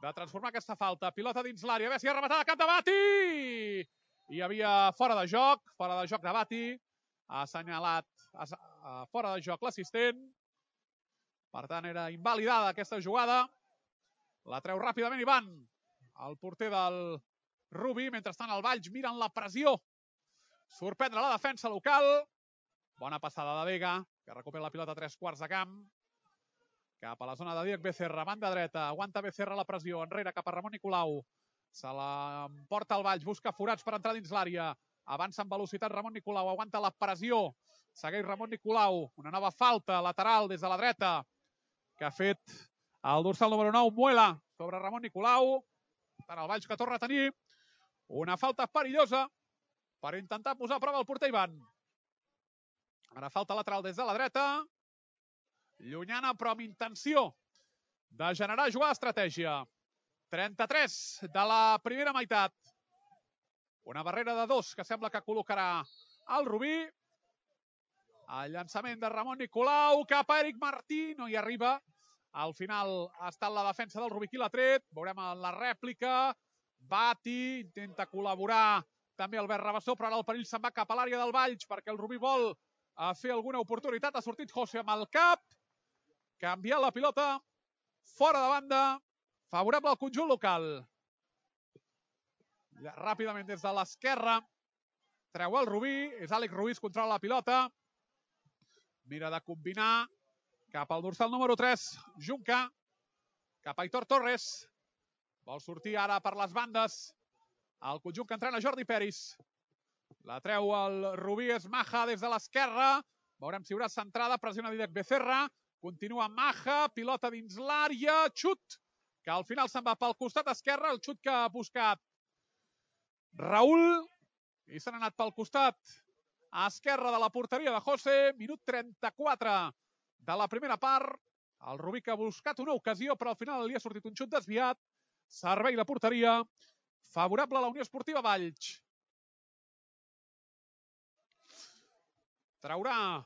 de transformar aquesta falta. Pilota dins l'àrea, a veure si ha rematat a cap de Bati! Hi havia fora de joc, fora de joc de Bati. Ha assenyalat fora de joc l'assistent. Per tant, era invalidada aquesta jugada. La treu ràpidament Ivan, el porter del Rubí. Mentrestant, el Valls mira en la pressió. Sorprendre la defensa local. Bona passada de Vega, que recupera la pilota a tres quarts de camp. Cap a la zona de Díaz Becerra, banda dreta. Aguanta Becerra la pressió. Enrere cap a Ramon Nicolau. Se l'emporta el Valls, busca forats per entrar dins l'àrea. Avança amb velocitat Ramon Nicolau, aguanta la pressió. Segueix Ramon Nicolau. Una nova falta lateral des de la dreta, que ha fet el dorsal número nou, Muela, sobre Ramon Nicolau. Tant el Valls que torna a tenir una falta perillosa per intentar posar a prova el porter Ivan. Ara falta lateral des de la dreta. Llunyana, però amb intenció de generar jugada d'estratègia. trenta-tres de la primera meitat. Una barrera de dos que sembla que col·locarà el Rubí. El llançament de Ramon Nicolau cap a Eric Martí, no hi arriba. Al final ha estat la defensa del Rubí qui l'ha tret. Veurem la rèplica. Bati intenta col·laborar també Albert Rabassó, però ara el perill se'n va cap a l'àrea del Valls perquè el Rubí vol fer alguna oportunitat. Ha sortit José amb el cap. Canviar la pilota fora de banda. Favorable al conjunt local. Ràpidament des de l'esquerra. Treu el Rubí. És Àlex Ruiz, controla la pilota. Mira de combinar cap al dorsal número tres, Junca, cap a Aitor Torres. Vol sortir ara per les bandes el conjunt que entrena Jordi Peris. La treu el Rubí, és Maja des de l'esquerra. Veurem si hi haurà centrada, pressiona Dídac Becerra. Continua Maja, pilota dins l'àrea, xut, que al final se'n va pel costat esquerre, el xut que ha buscat Raül, i s'han anat pel costat a esquerra de la porteria de José. Minut trenta-quatre de la primera part. El Rubí que ha buscat una ocasió, però al final li ha sortit un xut desviat. Servei de porteria favorable a la Unió Esportiva Valls. Traurà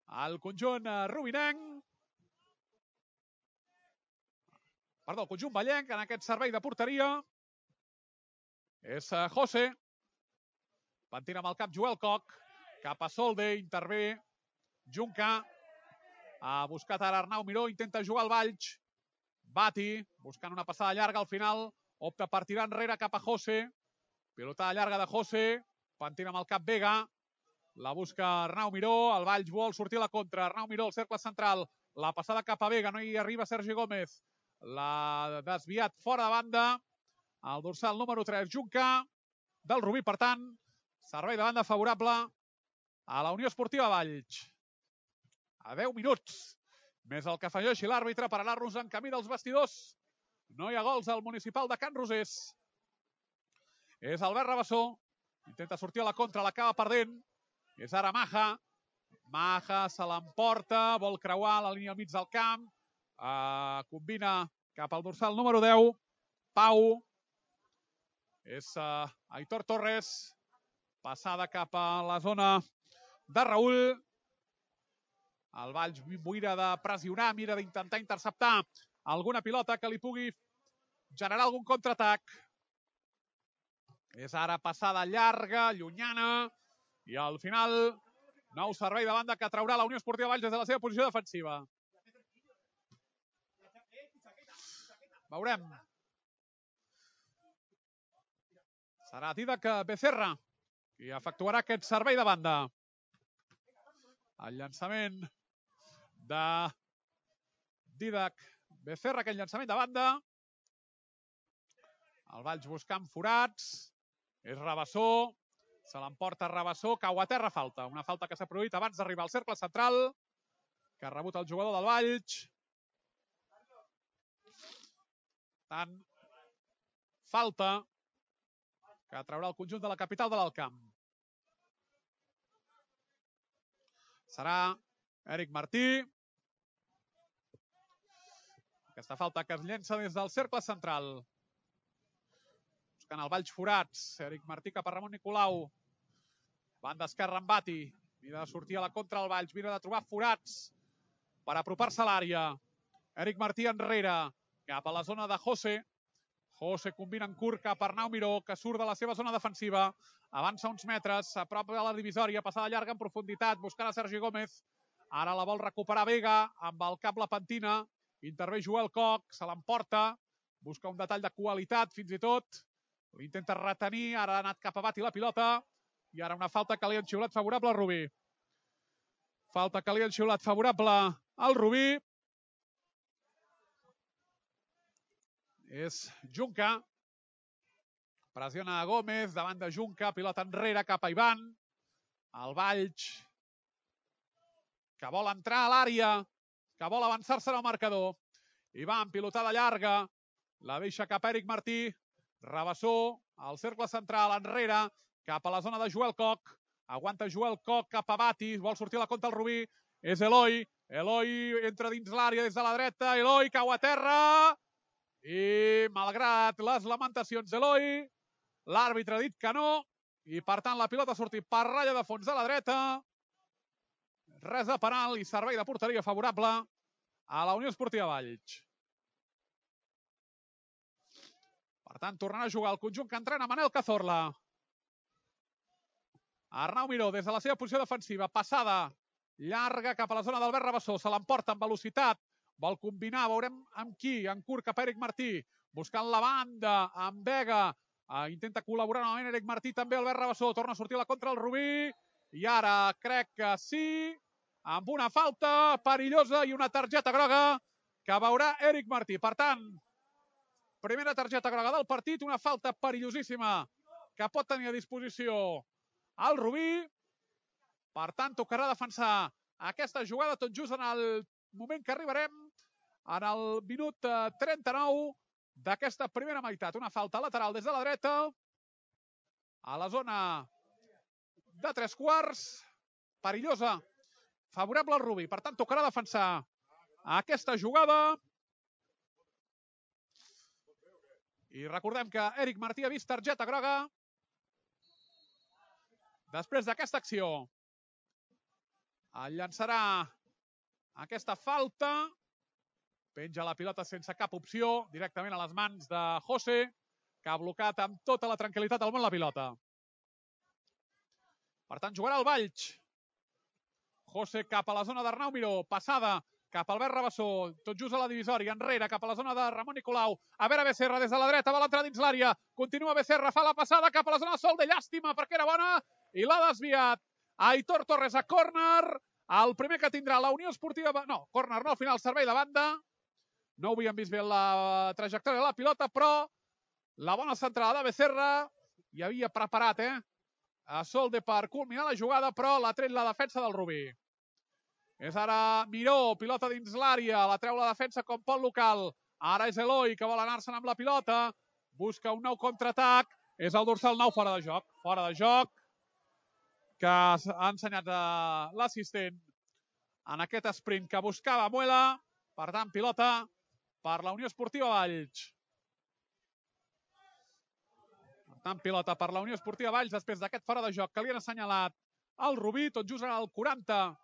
el conjunt rubinenc. Perdó, el conjunt vallenc en aquest servei de porteria. És José. Pentina amb el cap Joel Coc. Cap a Solde, intervé Junca. Ha buscat ara Arnau Miró, intenta jugar al Valls. Bati, buscant una passada llarga al final. Opta per tirar enrere cap a José. Pilotada llarga de José. Pentina amb el cap Vega. La busca Arnau Miró. El Valls vol sortir a la contra. Arnau Miró, el cercle central. La passada cap a Vega. No hi arriba Sergi Gómez. L'ha desviat fora de banda. El dorsal número tres, Junca, del Rubí. Per tant, servei de banda favorable a la Unió Esportiva Valls. A deu minuts, més el que afegeixi l'àrbitre per anar-nos en camí dels vestidors. No hi ha gols al municipal de Can Rosés. És Albert Rabassó. Intenta sortir a la contra, l'acaba perdent. És ara Maja. Maja se l'emporta, vol creuar la línia al mig del camp. Uh, combina cap al dorsal número deu. Pau. És uh, Aitor Torres. Passada cap a la zona de Raül. El Valls mira de pressionar, mira d'intentar interceptar alguna pilota que li pugui generar algun contraatac. És ara passada llarga, llunyana, i al final nou servei de banda que traurà la Unió Esportiva Valls des de la seva posició defensiva. Veurem. Serà Didac Becerra qui efectuarà aquest servei de banda. El llançament de Didac Becerra, aquest llançament de banda. El Valls buscant forats. És Rabassó. Se l'emporta Rabassó. Cau a terra, falta. Una falta que s'ha produït abans d'arribar al cercle central, que ha rebut el jugador del Valls. Tant, falta que traurà el conjunt de la capital de l'Alt Camp. Serà Eric Martí. Aquesta falta que es llença des del cercle central. Buscant el Valls forats. Eric Martí cap a Ramon Nicolau. Banda esquerra amb Bati. Mira de sortir a la contra el Valls. Mira de trobar forats per apropar-se a l'àrea. Eric Martí enrere. Cap a la zona de José. José combina en curt cap a Arnau Miró, que surt de la seva zona defensiva. Avança uns metres, a prop de la divisòria, passada llarga en profunditat, buscant a Sergi Gómez. Ara la vol recuperar Vega, amb el cap la pentina. Intervé Joel Coc, se l'emporta. Busca un detall de qualitat, fins i tot. L'intenta retenir, ara ha anat cap a Bati la pilota. I ara una falta que li han xiulat favorable al Rubí. Falta que li han xiulat favorable al Rubí. És Junca. Pressiona Gómez, davant de Junca, pilota enrere cap a Ivan. El Valls, que vol entrar a l'àrea, que vol avançar-se en el marcador. Ivan, pilotada llarga, la deixa cap a Eric Martí. Rabassó, al cercle central, enrere, cap a la zona de Joel Coc. Aguanta Joel Coc cap a Bati, vol sortir a la contra el Rubí. És Eloi. Eloi entra dins l'àrea des de la dreta. Eloi cau a terra. I malgrat les lamentacions d'Eloi, l'àrbitre ha dit que no, i per tant la pilota ha sortit per ratlla de fons de la dreta. Res de penal i servei de porteria favorable a la Unió Esportiva Valls. Per tant, tornarà a jugar el conjunt que entrena Manel Cazorla. Arnau Miró des de la seva posició defensiva, passada llarga cap a la zona d'Albert Rabassó, se l'emporta amb velocitat. Vol combinar, veurem amb qui, en curt cap a Eric Martí, buscant la banda, amb Vega, uh, intenta col·laborar novament Eric Martí, també Albert Rabassó, torna a sortir a la contra el Rubí, i ara crec que sí, amb una falta perillosa i una targeta groga que veurà Eric Martí. Per tant, primera targeta groga del partit, una falta perillosíssima que pot tenir a disposició el Rubí. Per tant, tocarà defensar aquesta jugada tot just en el moment que arribarem en el minut trenta-nou d'aquesta primera meitat. Una falta lateral des de la dreta a la zona de tres quarts, perillosa, favorable al Rubí. Per tant, tocarà defensar aquesta jugada. I recordem que Eric Martí ha vist targeta groga després d'aquesta acció. El llançarà aquesta falta. Penja la pilota sense cap opció, directament a les mans de José, que ha blocat amb tota la tranquil·litat del món la pilota. Per tant, jugarà el Valls. José cap a la zona d'Arnau Miró, passada cap al Albert Rabassó, tot just a la divisòria, enrere, cap a la zona de Ramon Nicolau. A veure Becerra des de la dreta, vol entrar dins l'àrea. Continua Becerra, fa la passada cap a la zona de Sol de llàstima perquè era bona i l'ha desviat. Aitor Torres a córner. El primer que tindrà la Unió Esportiva... No, córner no, al final servei de banda. No ho havíem vist bé la trajectòria de la pilota, però la bona centrada de Becerra hi havia preparat, eh? A Solde per culminar la jugada, però l'ha tret la defensa del Rubí. És ara Miró, pilota dins l'àrea, la treu la defensa com pot local. Ara és Eloi, que vol anar-se'n amb la pilota. Busca un nou contraatac. És el dorsal nou fora de joc. Fora de joc, que ha ensenyat l'assistent en aquest sprint que buscava Muela. Per tant, pilota per la Unió Esportiva Valls. Per tant, pilota per la Unió Esportiva Valls després d'aquest fora de joc que li han assenyalat al Rubí, tot just en el quaranta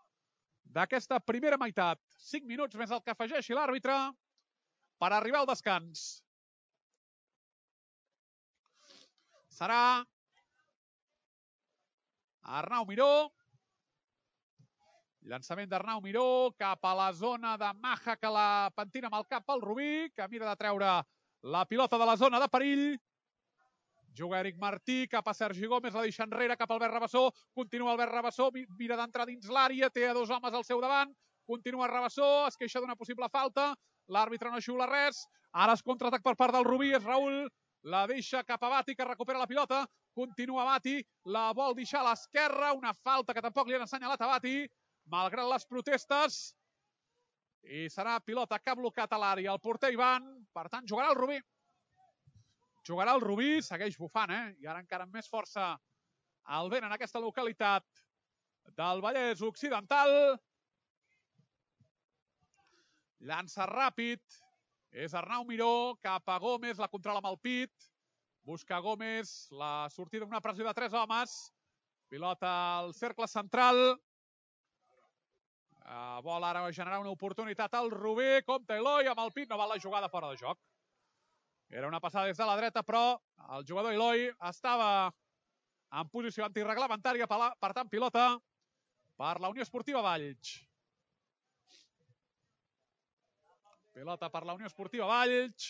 d'aquesta primera meitat. cinc minuts més el que afegeixi l'àrbitre per arribar al descans. Serà Arnau Miró. Llançament d'Arnau Miró cap a la zona de Maja, que la pentina amb el cap al Rubí, que mira de treure la pilota de la zona de perill. Juga Eric Martí cap a Sergi Gómez, la deixa enrere cap al Albert Rabassó. Continua Albert Rabassó, mira d'entrar dins l'àrea, té a dos homes al seu davant. Continua Rabassó, es queixa d'una possible falta. L'àrbitre no xiula res. Ara es contraatac per part del Rubí, és Raül. La deixa cap a Bati, que recupera la pilota. Continua Bati, la vol deixar a l'esquerra. Una falta que tampoc li han assenyalat a Bati, malgrat les protestes. I serà pilota que ha blocat a l'àrea el porter Ivan. Per tant, jugarà el Rubí. Jugarà el Rubí, segueix bufant, eh? I ara encara amb més força el vent en aquesta localitat del Vallès Occidental. Llança ràpid. És Arnau Miró cap a Gómez, la controla amb el pit. Busca Gómez, la sortida d'una pressió de tres homes. Pilota al cercle central. Uh, vol ara generar una oportunitat al Rubí. Compte Eloi amb el pit, no val la jugada fora de joc. Era una passada des de la dreta, però el jugador Eloi estava en posició antirreglamentària, per tant, pilota per la Unió Esportiva Valls. Pilota per la Unió Esportiva Valls.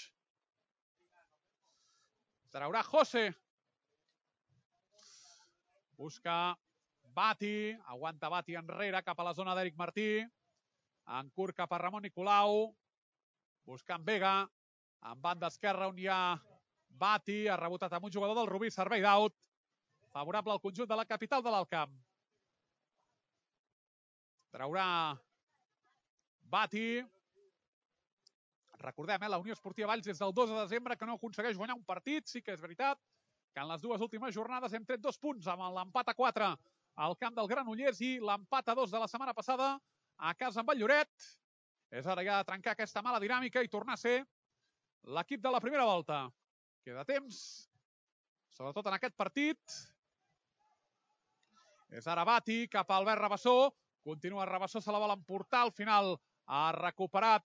Traurà José. Busca Bati, aguanta Bati enrere cap a la zona d'Eric Martí. En curt cap a Ramon Nicolau. Buscant Vega. En banda esquerra on hi ha Bati, ha rebotat amb un jugador del Rubí, servei d'out. Favorable al conjunt de la capital de l'Alt Camp. Traurà Bati. Recordem, eh, la Unió Esportiva Valls des del dos de desembre que no aconsegueix guanyar un partit. Sí que és veritat que en les dues últimes jornades hem tret dos punts amb l'empat a quatre al camp del Granollers i l'empat a dos de la setmana passada a casa amb el Lloret. És hora ja de trencar aquesta mala dinàmica i tornar a ser l'equip de la primera volta. Queda temps, sobretot en aquest partit. És ara Bati cap a Albert Rabassó. Continua Rabassó, se la vol emportar. Al final ha recuperat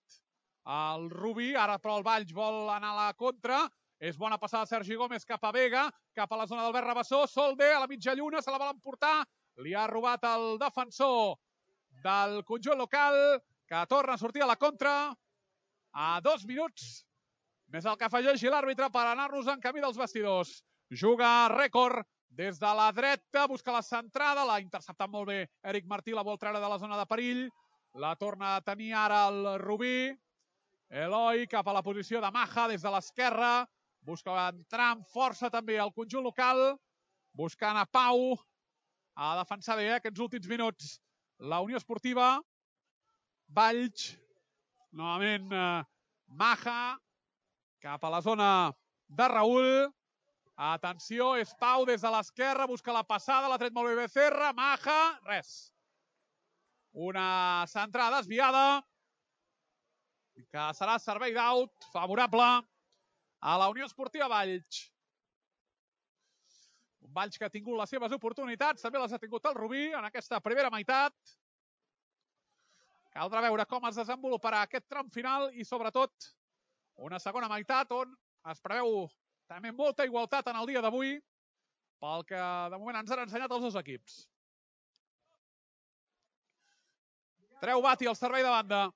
el Rubí. Ara però el Valls vol anar a la contra. És bona passada Sergi Gómez cap a Vega, cap a la zona d'Albert Rabassó. Solde a la mitja lluna, se la vol emportar. Li ha robat el defensor del conjunt local, que torna a sortir a la contra. A dos minuts més el que afegeixi l'àrbitre per anar-nos en camí dels vestidors. Juga rècord des de la dreta, busca la centrada, l'ha interceptat molt bé Eric Martí, la vol treure de la zona de perill. La torna a tenir ara el Rubí. Eloi cap a la posició de Maja des de l'esquerra. Busca entrar amb força també al conjunt local. Buscant a Pau. Ha de defensar bé eh, aquests últims minuts. La Unió Esportiva Valls. Novament eh, Maja. Cap a la zona de Raül. Atenció, és Pau des de l'esquerra. Busca la passada, l'ha tret molt bé Becerra. Maja, res. Una centrada desviada. Que serà servei d'out favorable a la Unió Esportiva Valls. Un Valls que ha tingut les seves oportunitats. També les ha tingut el Rubí en aquesta primera meitat. Caldrà veure com es desenvoluparà aquest tram final i, sobretot, una segona meitat on es preveu també molta igualtat en el dia d'avui pel que de moment ens han ensenyat els dos equips. Treu Bati al servei de banda.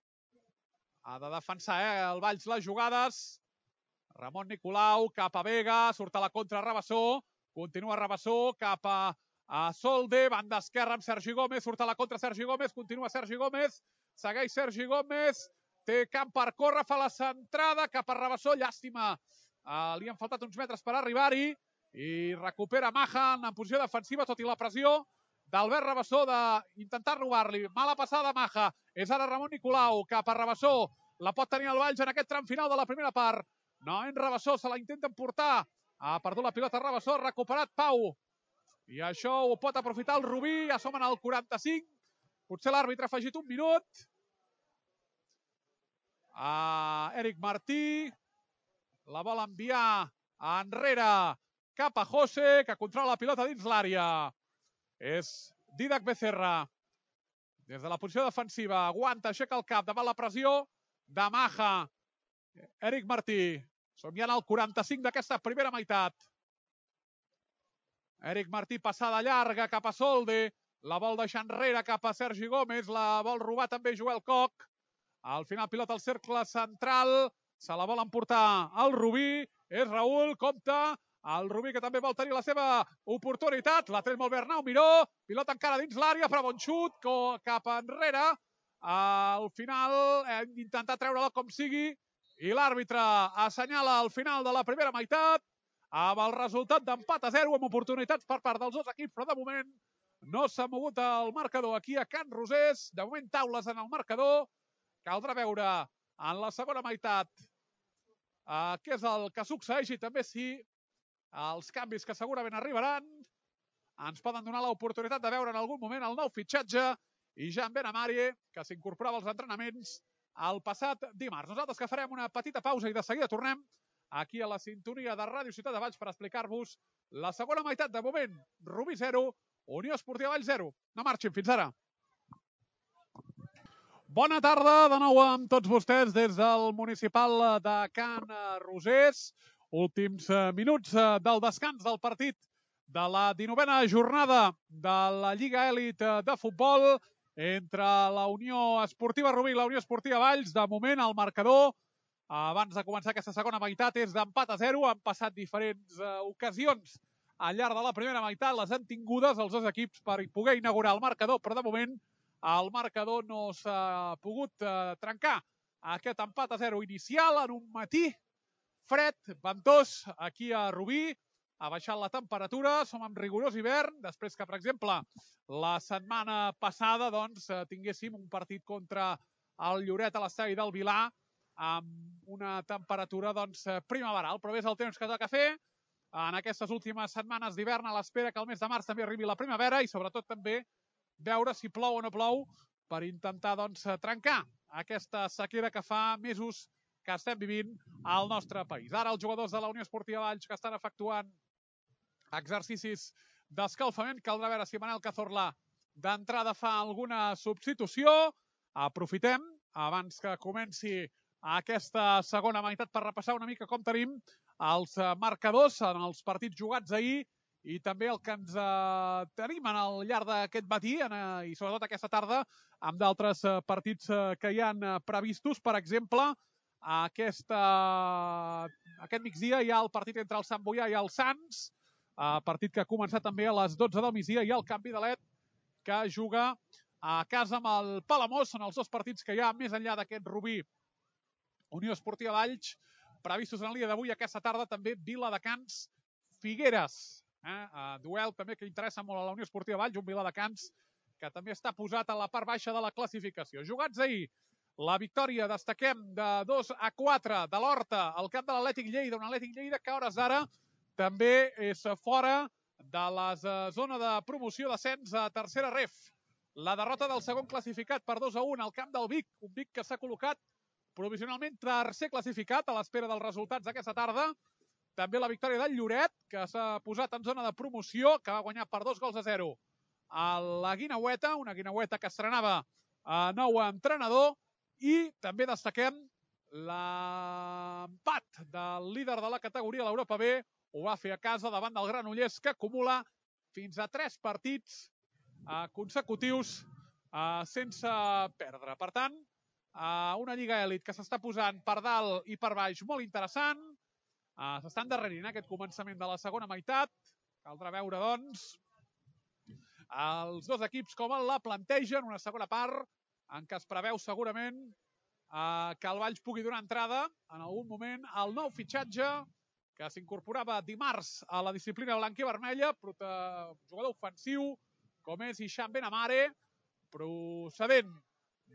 Ha de defensar eh, el Valls les jugades. Ramon Nicolau cap a Vega, surt a la contra Rabassó, continua Rabassó cap a, a Solde, banda esquerra amb Sergi Gómez, surt a la contra Sergi Gómez, continua Sergi Gómez, segueix Sergi Gómez, té camp per córrer, fa la centrada cap a Rabassó, llàstima, uh, li han faltat uns metres per arribar-hi, i recupera Mahan en posició defensiva, tot i la pressió d'Albert Rabassó d'intentar robar-li. Mala passada Maha, és ara Ramon Nicolau cap a Rabassó, la pot tenir el Valls en aquest tram final de la primera part. No, en Rabassó se la intenten portar. Ha perdut la pilota Rabassó, ha recuperat Pau. I això ho pot aprofitar el Rubí, ja som en el quaranta-cinc. Potser l'àrbitre ha afegit un minut. A Eric Martí. La vol enviar enrere cap a José, que controla la pilota dins l'àrea. És Didac Becerra. Des de la posició defensiva, aguanta, aixeca el cap davant la pressió de Maha. Eric Martí. Som ja en el quaranta-cinc d'aquesta primera meitat. Eric Martí, passada llarga cap a Solde. La vol deixar enrere cap a Sergi Gómez. La vol robar també Joel Koch. Al final pilota al cercle central. Se la vol emportar el Rubí. És Raül, compta. El Rubí que també vol tenir la seva oportunitat. La tret molt bé Arnau Miró. Pilota encara dins l'àrea, però bon xut cap enrere. Al final hem d'intentar treure-la com sigui. I l'àrbitre assenyala al final de la primera meitat amb el resultat d'empat a zero, amb oportunitats per part dels dos equips, però de moment no s'ha mogut el marcador aquí a Can Rosés. De moment taules en el marcador. Caldrà veure en la segona meitat eh, què és el que succeeix i també si els canvis que segurament arribaran ens poden donar l'oportunitat de veure en algun moment el nou fitxatge i Jan Benamari, que s'incorporava als entrenaments el passat dimarts. Nosaltres que farem una petita pausa i de seguida tornem aquí a la sintonia de Ràdio Ciutat de Valls per explicar-vos la segona meitat. De moment, Rubí zero, Unió Esportiva Valls zero. No marxin, fins ara. Bona tarda de nou amb tots vostès des del municipal de Can Rosés. Últims minuts del descans del partit de la dinovena jornada de la Lliga Elit de Futbol entre la Unió Esportiva Rubí i la Unió Esportiva Valls. De moment, el marcador, abans de començar aquesta segona meitat, és d'empat a zero. Han passat diferents uh, ocasions al llarg de la primera meitat. Les han tingudes els dos equips per poder inaugurar el marcador, però de moment el marcador no s'ha pogut uh, trencar. Aquest empat a zero inicial en un matí fred, ventós, aquí a Rubí. Ha baixat la temperatura, som en rigorós hivern, després que, per exemple, la setmana passada doncs, tinguéssim un partit contra el Lloret a l'estadi del Vilar amb una temperatura doncs, primaveral. Però és el temps que toca fer en aquestes últimes setmanes d'hivern, a l'espera que el mes de març també arribi la primavera i sobretot també veure si plou o no plou per intentar doncs, trencar aquesta sequera que fa mesos que estem vivint al nostre país. Ara els jugadors de la Unió Esportiva Valls que estan efectuant exercicis d'escalfament. Caldrà veure si Manel Cazorla d'entrada fa alguna substitució. Aprofitem, abans que comenci aquesta segona meitat, per repassar una mica com tenim els marcadors en els partits jugats ahir i també el que ens eh, tenim en el llarg d'aquest matí en, eh, i sobretot aquesta tarda amb d'altres eh, partits eh, que hi han eh, previstos. Per exemple, aquesta, aquest migdia hi ha el partit entre el Sant Boià i el Sants, Uh, partit que ha començat també a les dotze del migdia, i el Canvi de Let que juga a casa amb el Palamós. Són els dos partits que hi ha més enllà d'aquest Rubí Unió Esportiva Valls previstos en el dia d'avui. Aquesta tarda també Viladecans Figueres, eh? uh, duel també que interessa molt a la Unió Esportiva Valls, un Viladecans que també està posat a la part baixa de la classificació. Jugats ahir, la victòria, destaquem, de dos a quatre de l'Horta al camp de l'Atlètic Lleida, un Atlètic Lleida que a hores d'ara també és fora de la zona de promoció d'ascens a tercera ref. La derrota del segon classificat per dos a un al camp del Vic, un Vic que s'ha col·locat provisionalment tercer classificat a l'espera dels resultats d'aquesta tarda. També la victòria del Lloret, que s'ha posat en zona de promoció, que va guanyar per dos gols a zero a la Guineueta, una Guineueta que estrenava nou entrenador i també destaquem l'empat del líder de la categoria, l'Europa B, ho va fer a casa davant del Granollers, que acumula fins a tres partits consecutius sense perdre. Per tant, una Lliga Elit que s'està posant per dalt i per baix molt interessant. S'està endarrerint aquest començament de la segona meitat. Caldrà veure, doncs, els dos equips com la plantegen, una segona part en què es preveu segurament que el Valls pugui donar entrada en algun moment al nou fitxatge que s'incorporava dimarts a la disciplina blanca i vermella, jugador ofensiu com és Hisham Benamare, procedent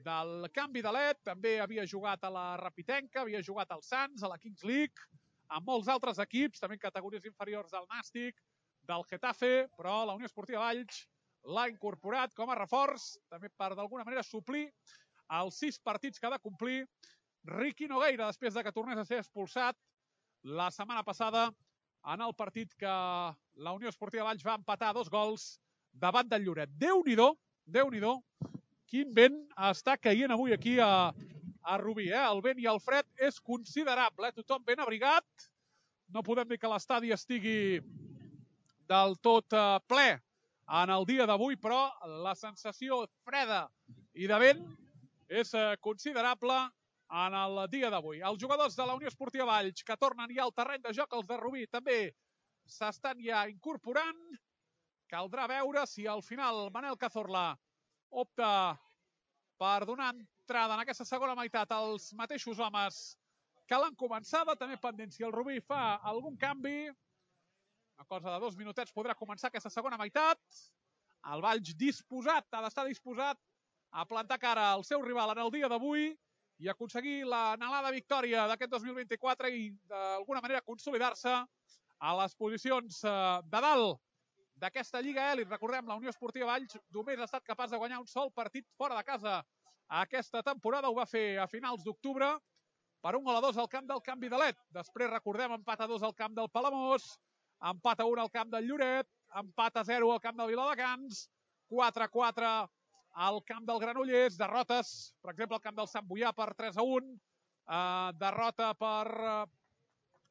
del canvi de l'E T, també havia jugat a la Rapitenca, havia jugat al Sants, a la Kings League, amb molts altres equips, també en categories inferiors del Nàstic, del Getafe, però la Unió Esportiva Valls l'ha incorporat com a reforç, també per d'alguna manera suplir els sis partits que ha de complir Riqui Nogueira, després de que tornés a ser expulsat la setmana passada en el partit que la Unió Esportiva Valls va empatar dos gols davant del Lloret. Déu-n'hi-do, Déu-n'hi-do, quin vent està caient avui aquí a, a Rubí. Eh? El vent i el fred és considerable, eh? Tothom ben abrigat. No podem dir que l'estadi estigui del tot eh, ple en el dia d'avui, però la sensació freda i de vent és eh, considerable en el dia d'avui. Els jugadors de la Unió Esportiva Valls que tornen ja al terreny de joc, els de Rubí, també s'estan ja incorporant. Caldrà veure si al final Manel Cazorla opta per donar entrada en aquesta segona meitat als mateixos homes que l'han començada. També pendent si el Rubí fa algun canvi. Una cosa de dos minutets podrà començar aquesta segona meitat. El Valls disposat, ha d'estar disposat a plantar cara al seu rival en el dia d'avui i aconseguir l'anhelada victòria d'aquest dos mil vint-i-quatre i d'alguna manera consolidar-se a les posicions de dalt d'aquesta Lliga Elit. Recordem, la Unió Esportiva Valls només ha estat capaç de guanyar un sol partit fora de casa aquesta temporada. Ho va fer a finals d'octubre per un gol a dos al camp del Canvi de l'E T. Després, recordem, empat a dos al camp del Palamós, empat a un al camp del Lloret, empat a zero al camp del Viladecans, quatre a quatre al camp del Granollers, derrotes, per exemple, al camp del Sant Boià per tres a un, eh, derrota per eh,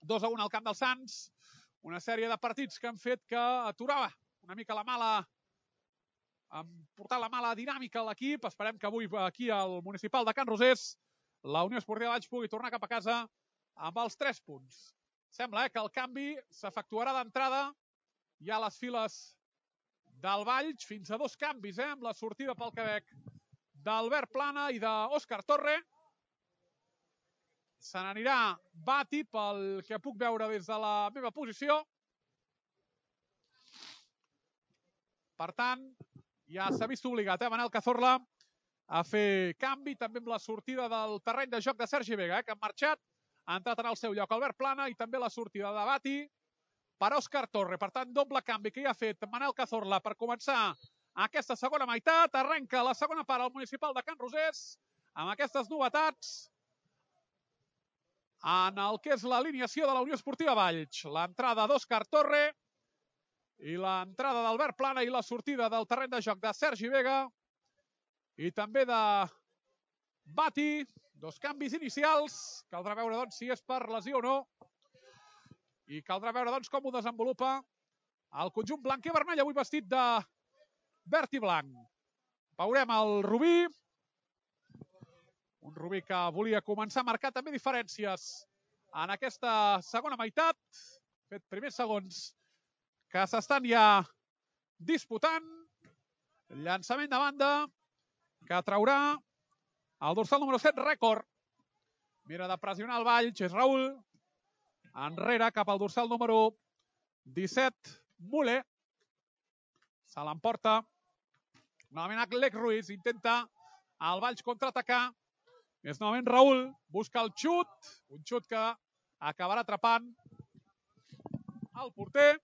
dos a un al camp del Sants, una sèrie de partits que han fet que aturava una mica la mala, portar la mala dinàmica a l'equip. Esperem que avui aquí al municipal de Can Rosés la Unió Esportiva Valls pugui tornar cap a casa amb els tres punts. Sembla eh, que el canvi s'efectuarà d'entrada ja a les files del Valls, fins a dos canvis, eh, amb la sortida pel Quebec d'Albert Plana i d'Òscar Torre. Se n'anirà Bati, pel que puc veure des de la meva posició. Per tant, ja s'ha vist obligat, eh, Manel Cazorla a fer canvi, també amb la sortida del terreny de joc de Sergi Vega, eh, que ha marxat, ha entrat en el seu lloc Albert Plana i també la sortida de Bati per Òscar Torre. Per tant, doble canvi que ja ha fet Manel Cazorla per començar aquesta segona meitat. Arrenca la segona part al municipal de Can Rosés amb aquestes novetats en el que és l'alineació de la Unió Esportiva Valls. L'entrada d'Òscar Torre i l'entrada d'Albert Plana i la sortida del terreny de joc de Sergi Vega i també de Bati. Dos canvis inicials. Caldrà veure, doncs, si és per lesió o no. I caldrà veure, doncs, com ho desenvolupa el conjunt blanc i vermell, avui vestit de verd i blanc. Veurem el Rubí. Un Rubí que volia començar a marcar també diferències en aquesta segona meitat. Fet primers segons que s'estan ja disputant. Llançament de banda que traurà el dorsal número set, Rècord. Mira de pressionar el Valls, és Raül. Enrere cap al dorsal número disset, Muller. Se l'emporta. Novament Alec Ruiz intenta el Valls contraatacar. És novament Raül, busca el xut, un xut que acabarà atrapant el porter.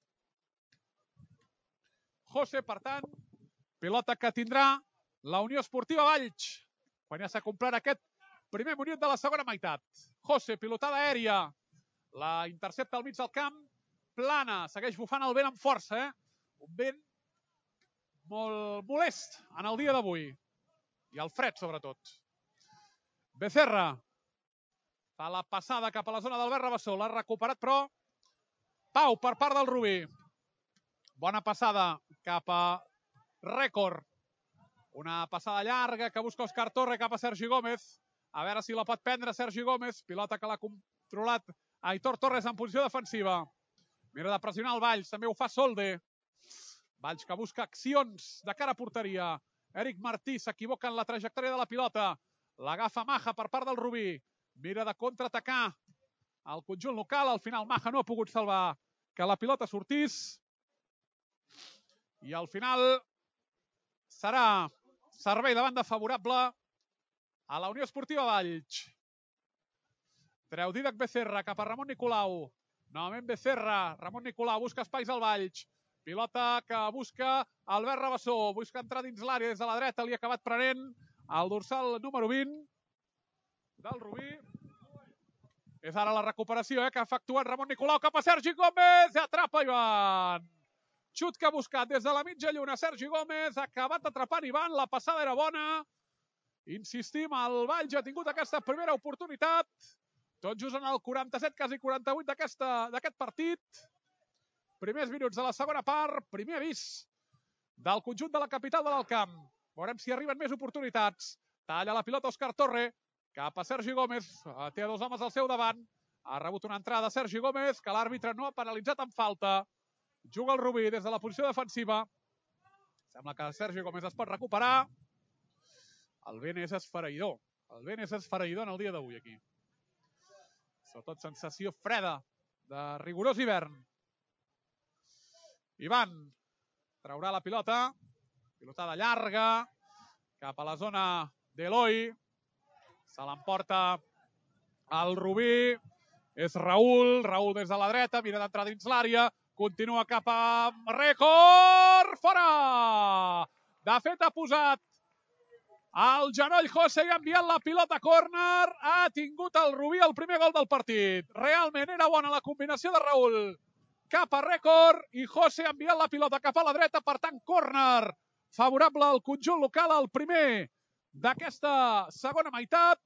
José, per tant, pilota que tindrà la Unió Esportiva Valls, quan ja s'ha complert aquest primer minut de la segona meitat. José, pilotada aèria, la intercepta al mig del camp. Plana, segueix bufant el vent amb força, eh? Un vent molt molest en el dia d'avui. i el fred, sobretot. Becerra fa la passada cap a la zona d'Albert Rabassó. L'ha recuperat, però Pau per part del Rubí. Bona passada cap a Rècord. Una passada llarga que busca Òscar Torre cap a Sergi Gómez. A veure si la pot prendre Sergi Gómez. Pilota que l'ha controlat Aitor Torres en posició defensiva. Mira de pressionar el Valls. També ho fa Solde. Valls que busca accions de cara a porteria. Eric Martí s'equivoca en la trajectòria de la pilota. L'agafa Maja per part del Rubí. Mira de contraatacar el conjunt local. Al final Maja no ha pogut salvar que la pilota sortís. I al final serà servei de banda favorable a la Unió Esportiva Valls. Treu Dídac Becerra cap a Ramon Nicolau. Novament Becerra. Ramon Nicolau busca espais al Valls. Pilota que busca Albert Rabassó. Busca entrar dins l'àrea des de la dreta. Li ha acabat prenent el dorsal número vint del Rubí. És ara la recuperació eh, que ha efectuat Ramon Nicolau cap a Sergi Gómez. Atrapa Ivan. Xut que ha buscat des de la mitja lluna Sergi Gómez. Ha acabat atrapant Ivan. La passada era bona. Insistim, el Valls ha tingut aquesta primera oportunitat. Tot just en el quaranta-set, quasi quaranta-vuit d'aquest partit. Primers minuts de la segona part. Primer avís del conjunt de la capital de l'Alt Camp. Veurem si arriben més oportunitats. Talla la pilota Òscar Torre cap a Sergi Gómez. Té dos homes al seu davant. Ha rebut una entrada Sergi Gómez que l'àrbitre no ha penalitzat amb falta. Juga el Rubí des de la posició defensiva. Sembla que Sergi Gómez es pot recuperar. El vent és esfereïdor. El vent és esfereïdor en el dia d'avui aquí. Sobretot sensació freda de rigorós hivern. Ivan traurà la pilota. Pilotada llarga cap a la zona d'Eloi. Se l'emporta el Rubí. És Raül. Raül des de la dreta. Mira d'entrar dins l'àrea. Continua cap a Rècord. Fora! De fet, ha posat el genoll José i ha enviat la pilota a córner. Ha tingut el Rubí el primer gol del partit. Realment era bona la combinació de Raül cap a Rècord i José ha enviat la pilota cap a la dreta. Per tant, córner favorable al conjunt local, el primer d'aquesta segona meitat.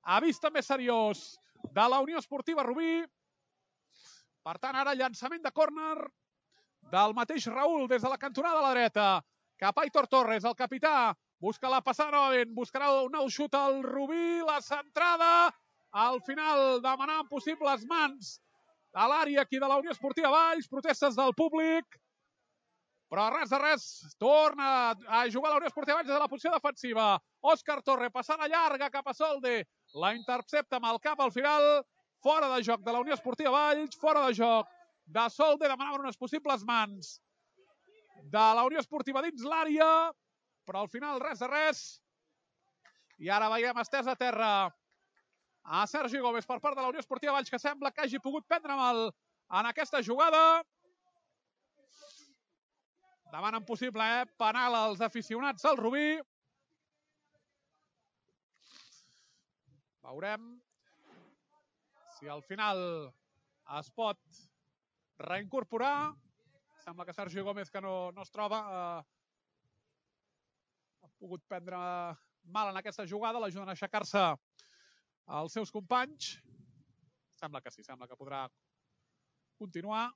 Avís també seriós de la Unió Esportiva Rubí. Per tant, ara llançament de córner del mateix Raül des de la cantonada a la dreta. Cap a Aitor Torres, el capità. Busca la passada novament. Buscarà un nou xut al Rubí. La centrada. Al final demanant possibles mans a l'àrea aquí de la Unió Esportiva Valls. Protestes del públic. Però res de res. Torna a jugar la Unió Esportiva Valls des de la posició defensiva. Òscar Torre, passada llarga cap a Solde. La intercepta amb el cap al final. Fora de joc de la Unió Esportiva Valls, fora de joc de Solde, demanaven unes possibles mans de la Unió Esportiva dins l'àrea, però al final res de res. I ara veiem estès a terra a Sergi Gómez per part de la Unió Esportiva Valls, que sembla que hagi pogut prendre mal en aquesta jugada. Demanen possible eh? penal als aficionats al Rubí. Veurem si al final es pot reincorporar. Sembla que Sergi Gómez, que no, no es troba, eh, ha pogut prendre mal en aquesta jugada. L'ajuden a aixecar-se els seus companys. Sembla que sí, sembla que podrà continuar.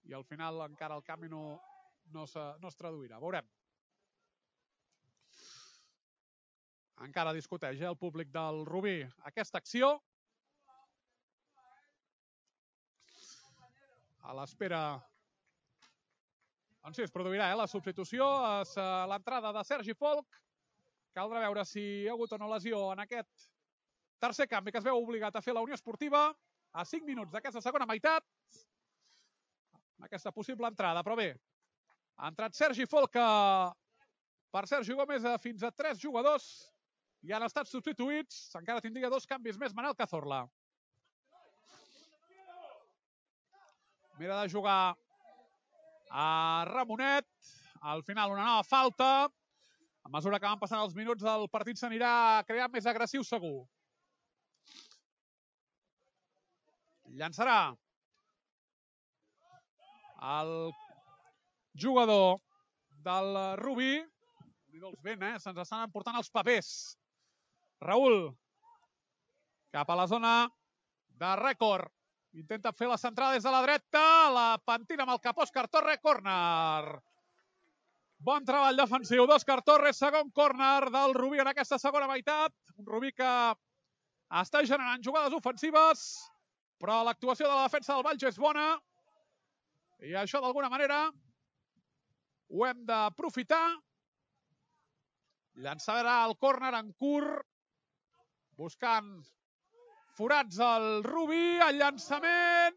I al final encara el canvi no, no, se, no es traduirà. Veurem. Encara discuteix eh, el públic del Rubí aquesta acció. A l'espera... Doncs sí, es produirà eh, la substitució. És uh, l'entrada de Sergi Folch. Caldrà veure si hi ha hagut o no lesió en aquest tercer canvi que es veu obligat a fer la Unió Esportiva a cinc minuts d'aquesta segona meitat. Aquesta possible entrada, però bé. Ha entrat Sergi Folch, que per Sergi Gómez fins a tres jugadors i han estat substituïts. Encara tindria dos canvis més Manel Cazorla. Mira de jugar a Ramonet. Al final una nova falta. A mesura que van passant els minuts, el partit s'anirà creant més agressiu segur. Llançarà el jugador del Rubí. Déu-n'hi-do els vent, eh? Se'ns estan emportant els papers. Raül, cap a la zona de rècord. Intenta fer la centrada des de la dreta. La pentina amb el cap Òscar Torre. Córner. Bon treball defensiu d'Òscar Torres. Segon córner del Rubí en aquesta segona meitat. Un Rubí que està generant jugades ofensives, però l'actuació de la defensa del Valls és bona. I això, d'alguna manera, ho hem d'aprofitar. Llançarà el córner en curt, buscant forats al Rubí. El llançament.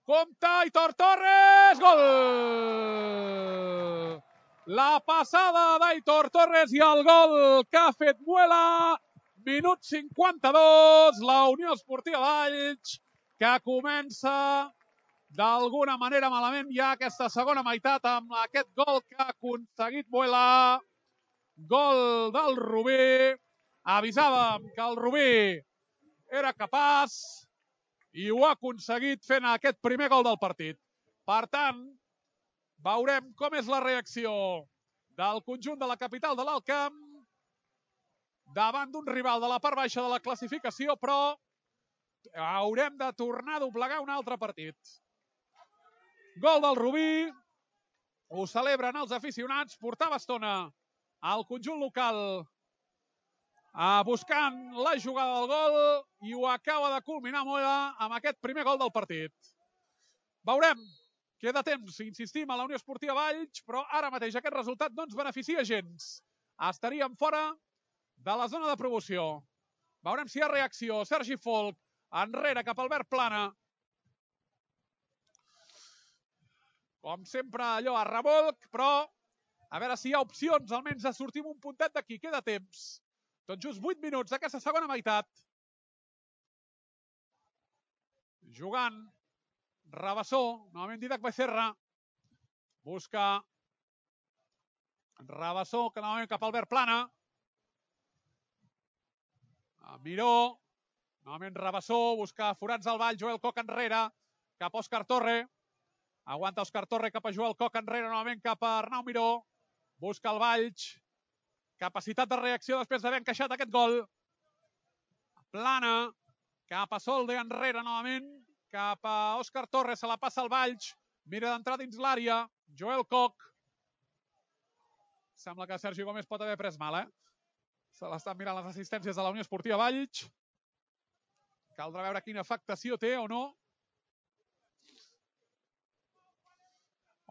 Compte, Aitor Torres. Gol! La passada d'Aitor Torres i el gol que ha fet Muela. Minut cinquanta-dos. La Unió Esportiva Valls, que comença d'alguna manera malament ja aquesta segona meitat amb aquest gol que ha aconseguit Muela. Gol del Rubí. Avisàvem que el Rubí era capaç i ho ha aconseguit fent aquest primer gol del partit. Per tant, veurem com és la reacció del conjunt de la capital de l'Alt Camp davant d'un rival de la part baixa de la classificació, però haurem de tornar a doblegar un altre partit. Gol del Rubí, ho celebren els aficionats, portava estona al conjunt local buscant la jugada del gol i ho acaba de culminar Mola amb aquest primer gol del partit. Veurem, queda temps, insistim, a la Unió Esportiva Valls, però ara mateix aquest resultat no ens beneficia gens. Estaríem fora de la zona de promoció. Veurem si hi ha reacció. Sergi Folch, enrere cap al verd plana. Com sempre, allò a revolc, però a veure si hi ha opcions, almenys de sortir amb un puntet d'aquí. Queda temps. Tot just vuit minuts d'aquesta segona meitat. Jugant Rabassó, novament Didac Becerra. Busca Rabassó, que novament cap al verd plana. Miró, novament Rabassó, busca forats al Vall, Joel Coc enrere, cap a Òscar Torre. Aguanta Òscar Torre cap a Joel Coc enrere, novament cap a Arnau Miró. Busca el Valls. Capacitat de reacció després d'haver encaixat aquest gol. Plana, cap a Solde enrere novament, cap a Òscar Torres, se la passa al Valls, mira d'entrar dins l'àrea, Joel Coc. Sembla que Sergi Gómez pot haver pres mal, eh? Se l'estan mirant les assistències de la Unió Esportiva Valls. Caldrà veure quina afectació té o no.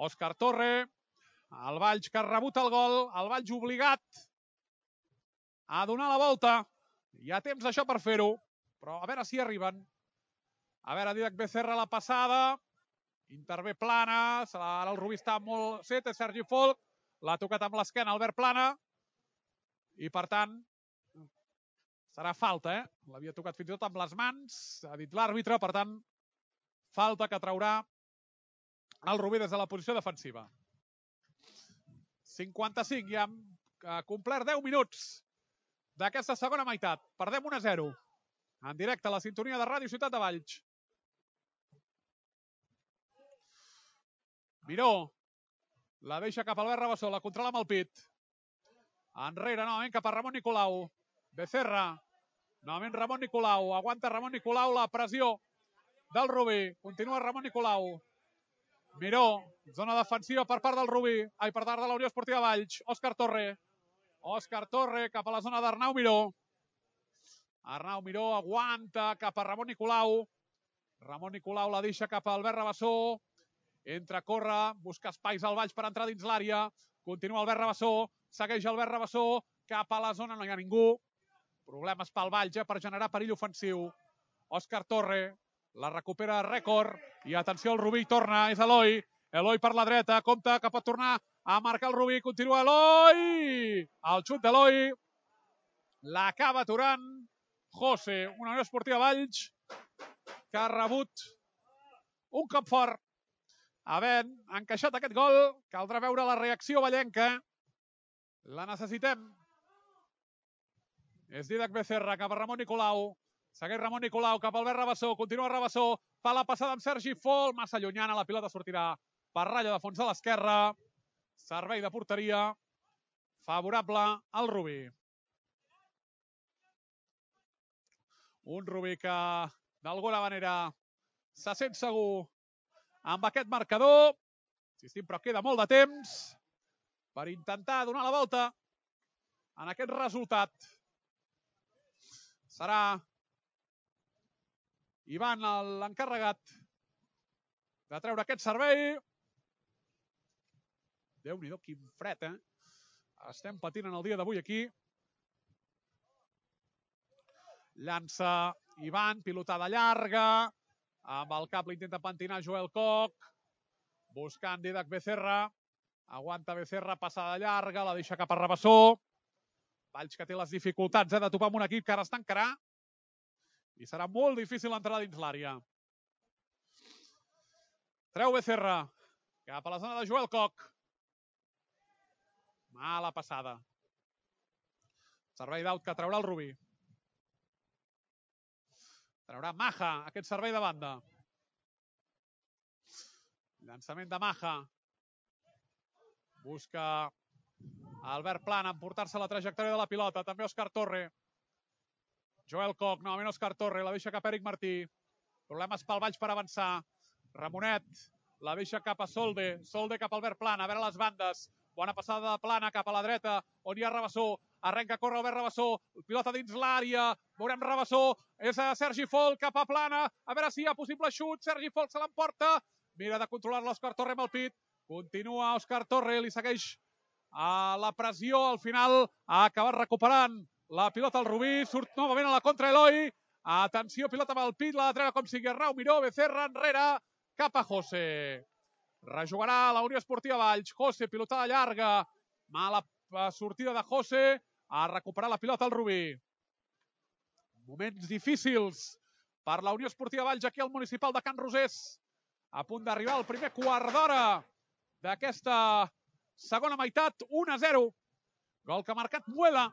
Òscar Torre, el Valls que rebuta el gol, el Valls obligat a donar la volta. Hi ha temps això per fer-ho, però a veure si arriben. A veure, Didac Becerra la passada. Intervé plana. Ara el Rubí està molt set. És Sergi Folch. L'ha tocat amb l'esquena Albert Plana. I per tant, serà falta, eh? L'havia tocat fins i tot amb les mans. Ha dit l'àrbitre, per tant, falta que traurà el Rubí des de la posició defensiva. cinquanta-cinc, ja hem complert deu minuts d'aquesta segona meitat. Perdem un a zero. En directe a la sintonia de Ràdio Ciutat de Valls. Miró. La deixa cap al verd Rabassó. La controla amb el pit. Enrere, novament, cap a Ramon Nicolau. Becerra. Novament Ramon Nicolau. Aguanta Ramon Nicolau la pressió del Rubí. Continua Ramon Nicolau. Miró. Zona defensiva per part del Rubí. Ai, per part de la Unió Esportiva Valls. Òscar Torre. Òscar Torre cap a la zona d'Arnau Miró. Arnau Miró aguanta cap a Ramon Nicolau. Ramon Nicolau la deixa cap al verd Rabassó. Entra, corre, busca espais al Valls per entrar dins l'àrea. Continua el verd Rabassó. Segueix el verd Rabassó. Cap a la zona no hi ha ningú. Problemes pel Valls, eh, per generar perill ofensiu. Òscar Torre. La recupera rècord. I atenció, el Rubí torna. És Eloi. Eloi per la dreta. Compte que pot tornar a marcar el Rubí. Continua Eloi. El xut d'Eloi. L'acaba aturant José. Una Unió Esportiva Valls que ha rebut un cop fort. Havent encaixat aquest gol, caldrà veure la reacció vallenca. La necessitem. És Didac Becerra cap a Ramon Nicolau. Segueix Ramon Nicolau cap al verd Rabassó. Continua Rabassó. Fa la passada amb Sergi Folch. Massa llunyana. La pilota sortirà per ratlla de fons a l'esquerra. Servei de porteria favorable al Rubí. Un Rubí que d'alguna manera se sent segur amb aquest marcador. Insistim, però queda molt de temps per intentar donar la volta en aquest resultat. Serà Ivan l'encarregat de treure aquest servei. Déu-n'hi-do, quin fred, eh? Estem patint en el dia d'avui aquí. Llança Ivan, pilotada llarga. Amb el cap l'intenta pentinar Joel Koch. Buscant Didac Becerra. Aguanta Becerra, passada llarga, la deixa cap a Rabassó. Valls que té les dificultats eh, de topar amb un equip que ara es tancarà. I serà molt difícil entrar dins l'àrea. Treu Becerra cap a la zona de Joel Koch. Mala passada. Servei d'aut que traurà el Rubí. Traurà Maja aquest servei de banda. Llançament de Maja. Busca Albert Plana emportar-se la trajectòria de la pilota. També Òscar Torre. Joel Koch, novament Òscar Torre. La deixa cap a Eric Martí. Problemes pel Valls per avançar. Ramonet la deixa cap a Solde. Solde cap a Albert Plana. A veure les bandes. Bona passada de Plana cap a la dreta, on hi ha Rabassó. Arrenca a córrer Albert Rabassó. Pilota dins l'àrea. Veurem Rabassó. És a Sergi Folk cap a Plana. A veure si hi ha possible xut. Sergi Folk se l'emporta. Mira de controlar l'Òscar Torre amb el pit. Continua Òscar Torre. Li segueix a la pressió. Al final ha acabat recuperant la pilota al Rubí. Surt novament a la contra Eloi. Atenció, pilota amb el pit. La de treure com sigui Arnau Miró. Becerra enrere cap a José. Rejugarà la Unió Esportiva Valls. José, pilotada llarga. Mala sortida de José. Ha recuperat la pilota al Rubí. Moments difícils per la Unió Esportiva Valls aquí al municipal de Can Rosés. A punt d'arribar al primer quart d'hora d'aquesta segona meitat. un a zero. Gol que ha marcat Muela.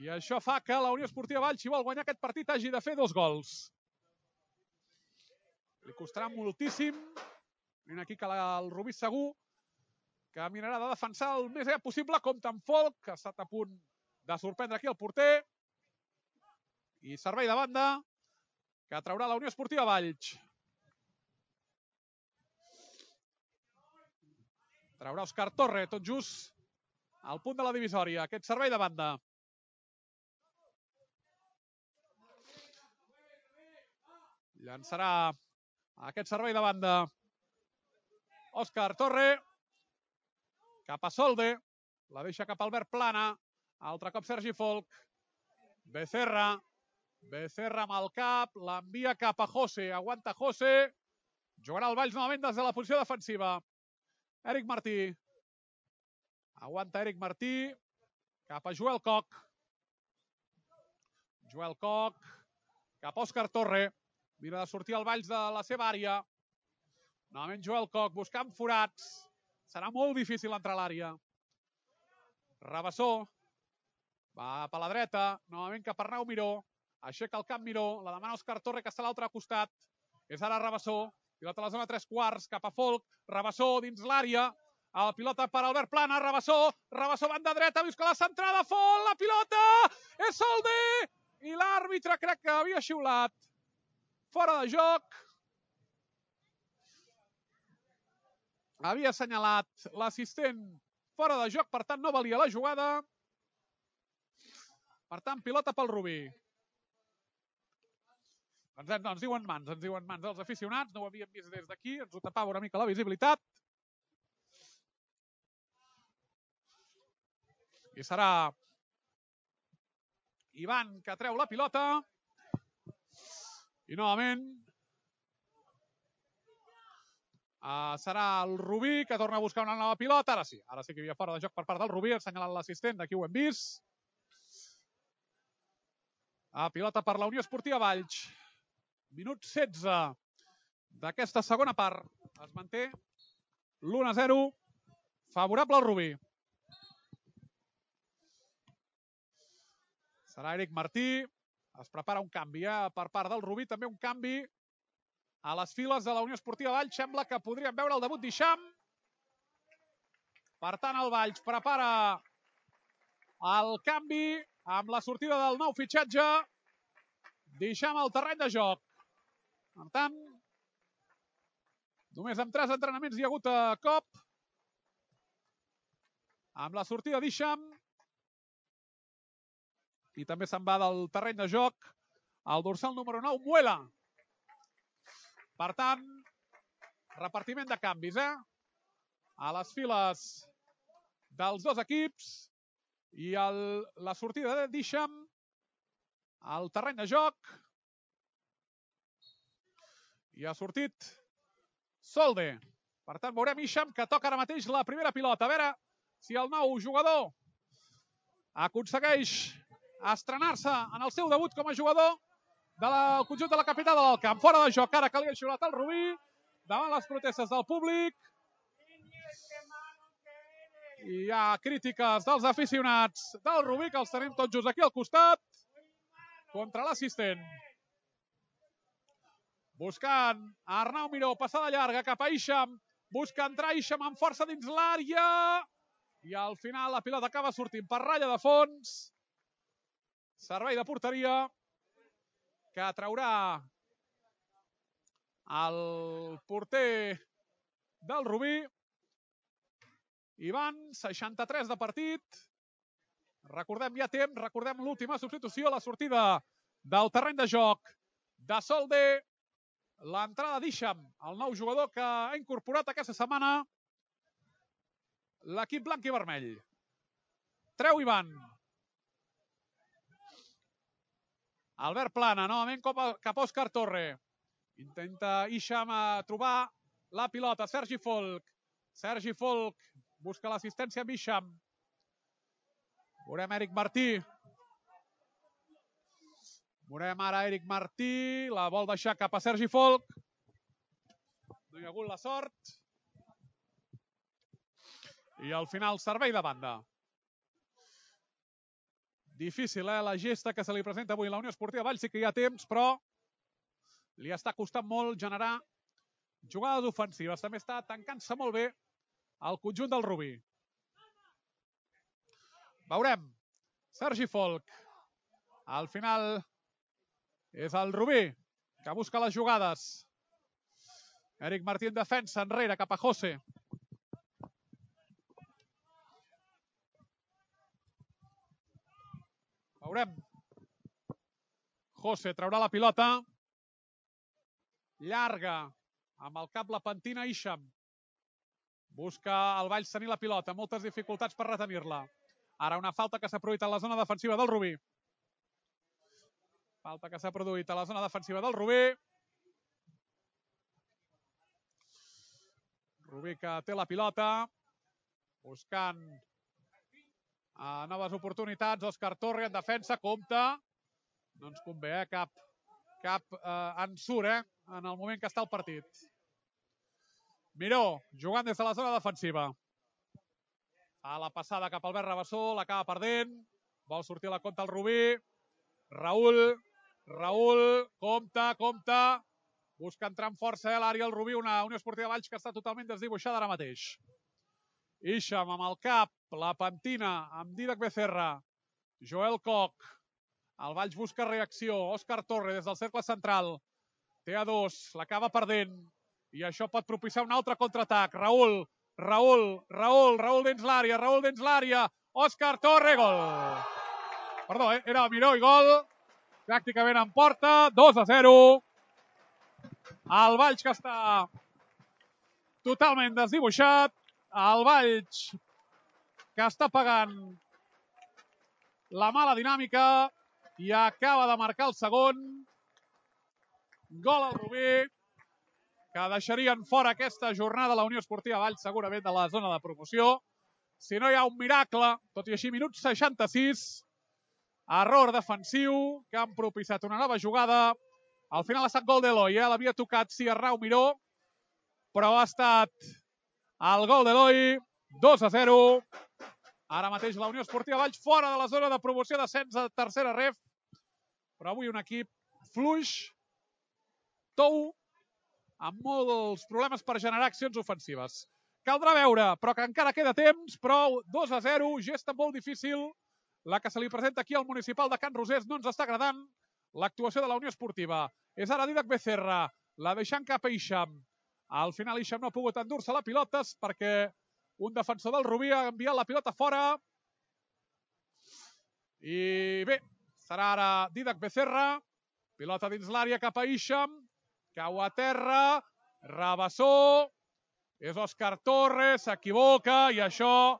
I això fa que la Unió Esportiva Valls, si vol guanyar aquest partit, hagi de fer dos gols. Li costarà moltíssim. Vine aquí que la, el Rubí segur que mirarà de defensar el més aviat possible, com tan Folk, que ha estat a punt de sorprendre aquí el porter. I servei de banda que traurà la Unió Esportiva Valls. Traurà Òscar Torre, tot just al punt de la divisòria. Aquest servei de banda. Llançarà aquest servei de banda Òscar Torre cap a Solde. La deixa cap a Albert Plana. Altre cop Sergi Folk. Becerra. Becerra amb el cap. L'envia cap a José. Aguanta José. Jugarà el Valls novament des de la posició defensiva. Eric Martí. Aguanta Eric Martí. Cap a Joel Koch. Joel Koch. Cap a Òscar Torre. Mira de sortir el Valls de la seva àrea. Novament Joel Koch buscant forats. Serà molt difícil entrar a l'àrea. Rabassó. Va per la dreta. Novament cap a Arnau Miró. Aixeca el camp Miró. La demana Òscar Torre, que està a l'altre costat. És ara Rabassó. Pilota a la zona tres quarts. Cap a Folk. Rabassó dins l'àrea. La pilota per Albert Plana. Rabassó. Rabassó banda dreta. Busca la centrada. Folk. La pilota. És Solde. I l'àrbitre crec que havia xiulat. Fora de joc. Havia assenyalat l'assistent fora de joc, per tant no valia la jugada. Per tant, pilota pel Rubí. Ens, ens diuen mans, ens diuen mans dels aficionats. No ho havíem vist des d'aquí, ens ho tapava una mica la visibilitat. I serà Ivan que treu la pilota. I novament uh, serà el Rubí que torna a buscar una nova pilota. Ara sí, ara sí que hi havia fora de joc per part del Rubí, assenyalant l'assistent, d'aquí ho hem vist. Uh, pilota per la Unió Esportiva Valls. Minut setze d'aquesta segona part. Es manté l'u a zero, favorable al Rubí. Serà Eric Martí. Es prepara un canvi eh? per part del Rubí, també un canvi a les files de la Unió Esportiva Valls. Sembla que podríem veure el debut d'Hisham. Per tant, el Valls prepara el canvi amb la sortida del nou fitxatge. Deixem el terreny de joc. Per tant, només amb tres entrenaments hi ha hagut a cop. Amb la sortida d'Isham. I també se'n va del terreny de joc el dorsal número nou, Muela. Per tant, repartiment de canvis, eh? A les files dels dos equips. I el, la sortida d'Isham al terreny de joc. I ha sortit Solde. Per tant, veurem Isham, que toca ara mateix la primera pilota. A veure si el nou jugador aconsegueix estrenar-se en el seu debut com a jugador del conjunt de la capital del camp. Fora de joc, ara que li ha xiulat el Rubí, davant les protestes del públic. I hi ha crítiques dels aficionats del Rubí, que els tenim tots just aquí al costat, contra l'assistent. Buscant Arnau Miró, passada llarga cap a Isham, busca entrar Isham amb força dins l'àrea, i al final la pilota acaba sortint per ratlla de fons. Servei de porteria que traurà el porter del Rubí. Hi van seixanta-tres de partit. Recordem, hi ha temps, recordem l'última substitució, la sortida del terreny de joc de Solde. L'entrada d'Isham, el nou jugador que ha incorporat aquesta setmana l'equip blanc i vermell. Treu Ivan. Albert Plana, novament cap a Òscar Torre. Intenta Isham trobar la pilota. Sergi Folk. Sergi Folk busca l'assistència amb Isham. Veurem Eric Martí. Veurem ara Eric Martí. La vol deixar cap a Sergi Folk. No hi ha hagut la sort. I al final servei de banda. Difícil, eh, la gesta que se li presenta avui a la Unió Esportiva Valls. Sí que hi ha temps, però li està costant molt generar jugades ofensives. També està tancant-se molt bé el conjunt del Rubí. Veurem. Sergi Folk. Al final és el Rubí que busca les jugades. Eric Martí en defensa, enrere, cap a José. Veurem. José traurà la pilota. Llarga. Amb el cap la pentina Isham. Busca el Valls tenir la pilota. Moltes dificultats per retenir-la. Ara una falta que s'ha produït a la zona defensiva del Rubí. Falta que s'ha produït a la zona defensiva del Rubí. Rubí que té la pilota. Buscant a noves oportunitats. Òscar Torre en defensa, compta. No ens convé, eh? Cap, cap eh, ensurt, eh? En el moment que està el partit. Miró, jugant des de la zona defensiva. A la passada cap al Albert Rabassó, l'acaba perdent. Vol sortir a la compta el Rubí. Raül, Raül, compta, compta. Busca entrar amb força a l'àrea el Rubí, una Unió Esportiva Valls que està totalment desdibuixada ara mateix. Isham amb el cap, la pentina amb Didac Becerra, Joel Koch, el Valls busca reacció, Òscar Torre des del cercle central, té a dos, l'acaba perdent, i això pot propiciar un altre contraatac. Raül, Raül, Raül, Raül dins l'àrea, Raül dins l'àrea, Òscar Torre, gol. Perdó, eh? Era Miró i gol, pràcticament en porta, dos a zero. El Valls que està totalment desdibuixat, el Valls que està pagant la mala dinàmica i acaba de marcar el segon. Gol al Rubí, que deixarien fora aquesta jornada la Unió Esportiva Valls segurament de la zona de promoció. Si no hi ha un miracle, tot i així, minut seixanta-sis, error defensiu que han propiciat una nova jugada. Al final ha estat gol d'Eloi, eh? L'havia tocat sí Arnau Miró, però ha estat el gol d'Eloi, dos a zero. Ara mateix la Unió Esportiva Valls fora de la zona de promoció d'ascens a tercera ref, però avui un equip fluix, tou, amb molts problemes per generar accions ofensives. Caldrà veure, però que encara queda temps, però dos a zero, gesta molt difícil. La que se li presenta aquí al municipal de Can Rosés no ens està agradant l'actuació de la Unió Esportiva. És ara Didac Becerra, la deixant cap a Isham. Al final Isham no ha pogut endur-se la pilota perquè un defensor del Rubí ha enviat la pilota fora. I bé, serà ara Didac Becerra. Pilota dins l'àrea cap a Isham. Cau a terra. Rabassó. És Òscar Torres, s'equivoca i això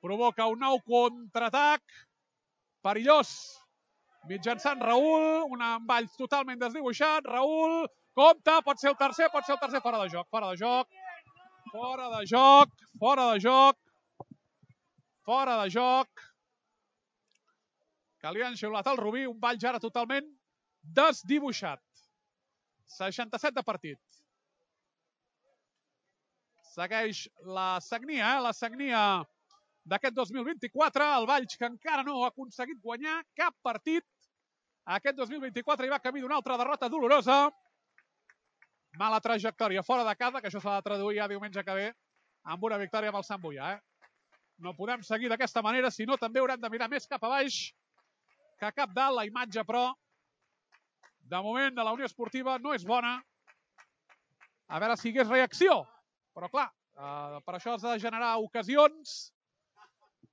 provoca un nou contraatac perillós mitjançant Raül, un envall totalment desdibuixat. Raül, compte, pot ser el tercer, pot ser el tercer, fora de joc, fora de joc, fora de joc, fora de joc, fora de joc. Que li han xiulat al Rubí, un ball ja ara totalment desdibuixat. seixanta-set de partit. Segueix la sagnia, eh? la sagnia d'aquest dos mil vint-i-quatre, el Valls que encara no ha aconseguit guanyar cap partit. Aquest dos mil vint-i-quatre hi va camí d'una altra derrota dolorosa. Mala trajectòria fora de casa, que això s'ha de traduir ja diumenge que ve amb una victòria amb el Sant Boià. Eh? No podem seguir d'aquesta manera, sinó també haurem de mirar més cap a baix que cap dalt. La imatge, però, de moment de la Unió Esportiva no és bona. A veure si hi hagués reacció. Però, clar, eh, per això has de generar ocasions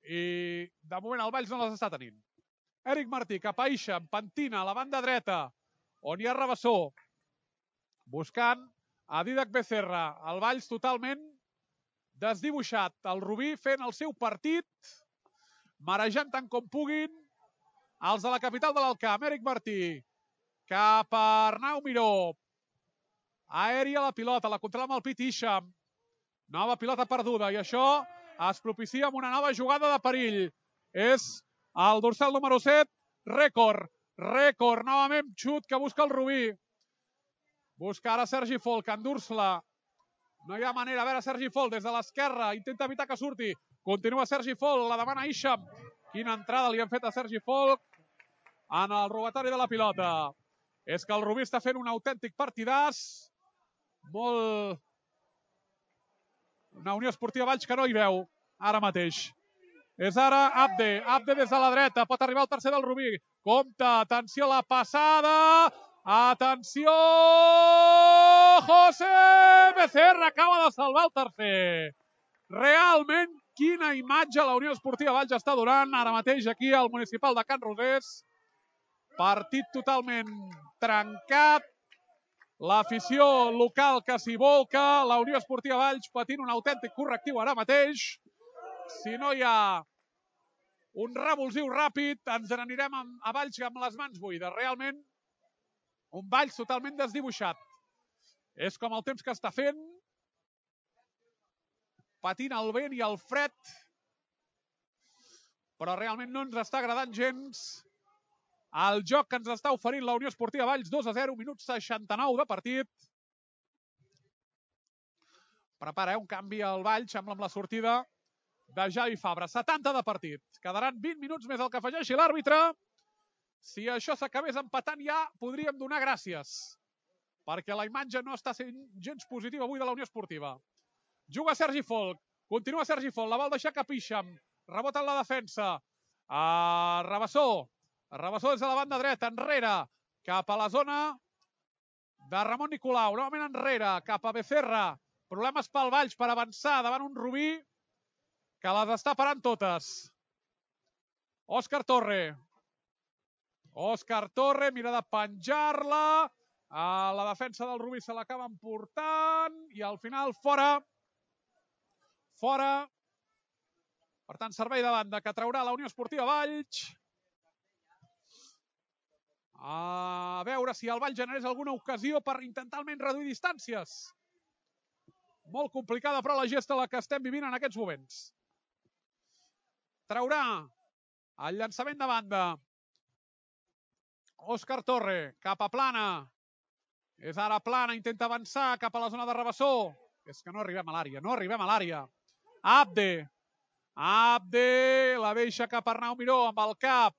i, de moment, el Valls no les està tenint. Éric Martí, cap a Isham, pentina a la banda dreta, on hi ha Rabassó, buscant a Didac Becerra. El Valls totalment desdibuixat. El Rubí fent el seu partit, marejant tant com puguin els de la capital de l'Alcamp. Éric Martí, cap a Arnau Miró. Aèria la pilota, la controla amb el pit Isham. Nova pilota perduda i això es propicia amb una nova jugada de perill. És el dorsal número set, Rècord. Rècord, novament xut que busca el Rubí. Busca ara Sergi Folk, endur-se-la. No hi ha manera. A veure, Sergi Folk des de l'esquerra. Intenta evitar que surti. Continua Sergi Folk, la demana Isham. Quina entrada li han fet a Sergi Folk en el robatori de la pilota. És que el Rubí està fent un autèntic partidàs. Molt... Una Unió Esportiva Valls que no hi veu ara mateix. És ara Abde. Abde des de la dreta. Pot arribar el tercer del Rubí. Compte. Atenció a la passada. Atenció. José Becerra acaba de salvar el tercer. Realment, quina imatge la Unió Esportiva Valls està donant ara mateix aquí al municipal de Can Rosés. Partit totalment trencat. L'afició local que s'hi volca, la Unió Esportiva Valls patint un autèntic correctiu ara mateix. Si no hi ha un revulsiu ràpid, ens n'anirem a Valls amb les mans buides. Realment, un Valls totalment desdibuixat. És com el temps que està fent, patint el vent i el fred, però realment no ens està agradant gens el joc que ens està oferint la Unió Esportiva Valls. Dos a zero, minut seixanta-nou de partit. Prepara un canvi al Valls amb la sortida de Javi Fabra. setanta de partit. Quedaran vint minuts més el que afegeixi l'àrbitre. Si això s'acabés empatant ja podríem donar gràcies, perquè la imatge no està sent gens positiva avui de la Unió Esportiva. Juga Sergi Folk. Continua Sergi Folk. La vol deixar cap Isham. Rebota en la defensa. A Rabassó. Rabassó des de la banda dreta, enrere, cap a la zona de Ramon Nicolau. Novament enrere, cap a Becerra. Problemes pel Valls per avançar davant un Rubí que les està parant totes. Òscar Torre. Òscar Torre mira de penjar-la. A la defensa del Rubí se l'acaba emportant i al final fora. Fora. Per tant, servei de banda que traurà la Unió Esportiva Valls. A veure si el Valls generés alguna ocasió per intentar almenys reduir distàncies. Molt complicada, però, la gesta la que estem vivint en aquests moments. Traurà el llançament de banda. Òscar Torre, cap a Plana. És ara Plana, intenta avançar cap a la zona de Rabassó. És que no arribem a l'àrea, no arribem a l'àrea. Abde. Abde, la deixa cap a Arnau Miró amb el cap.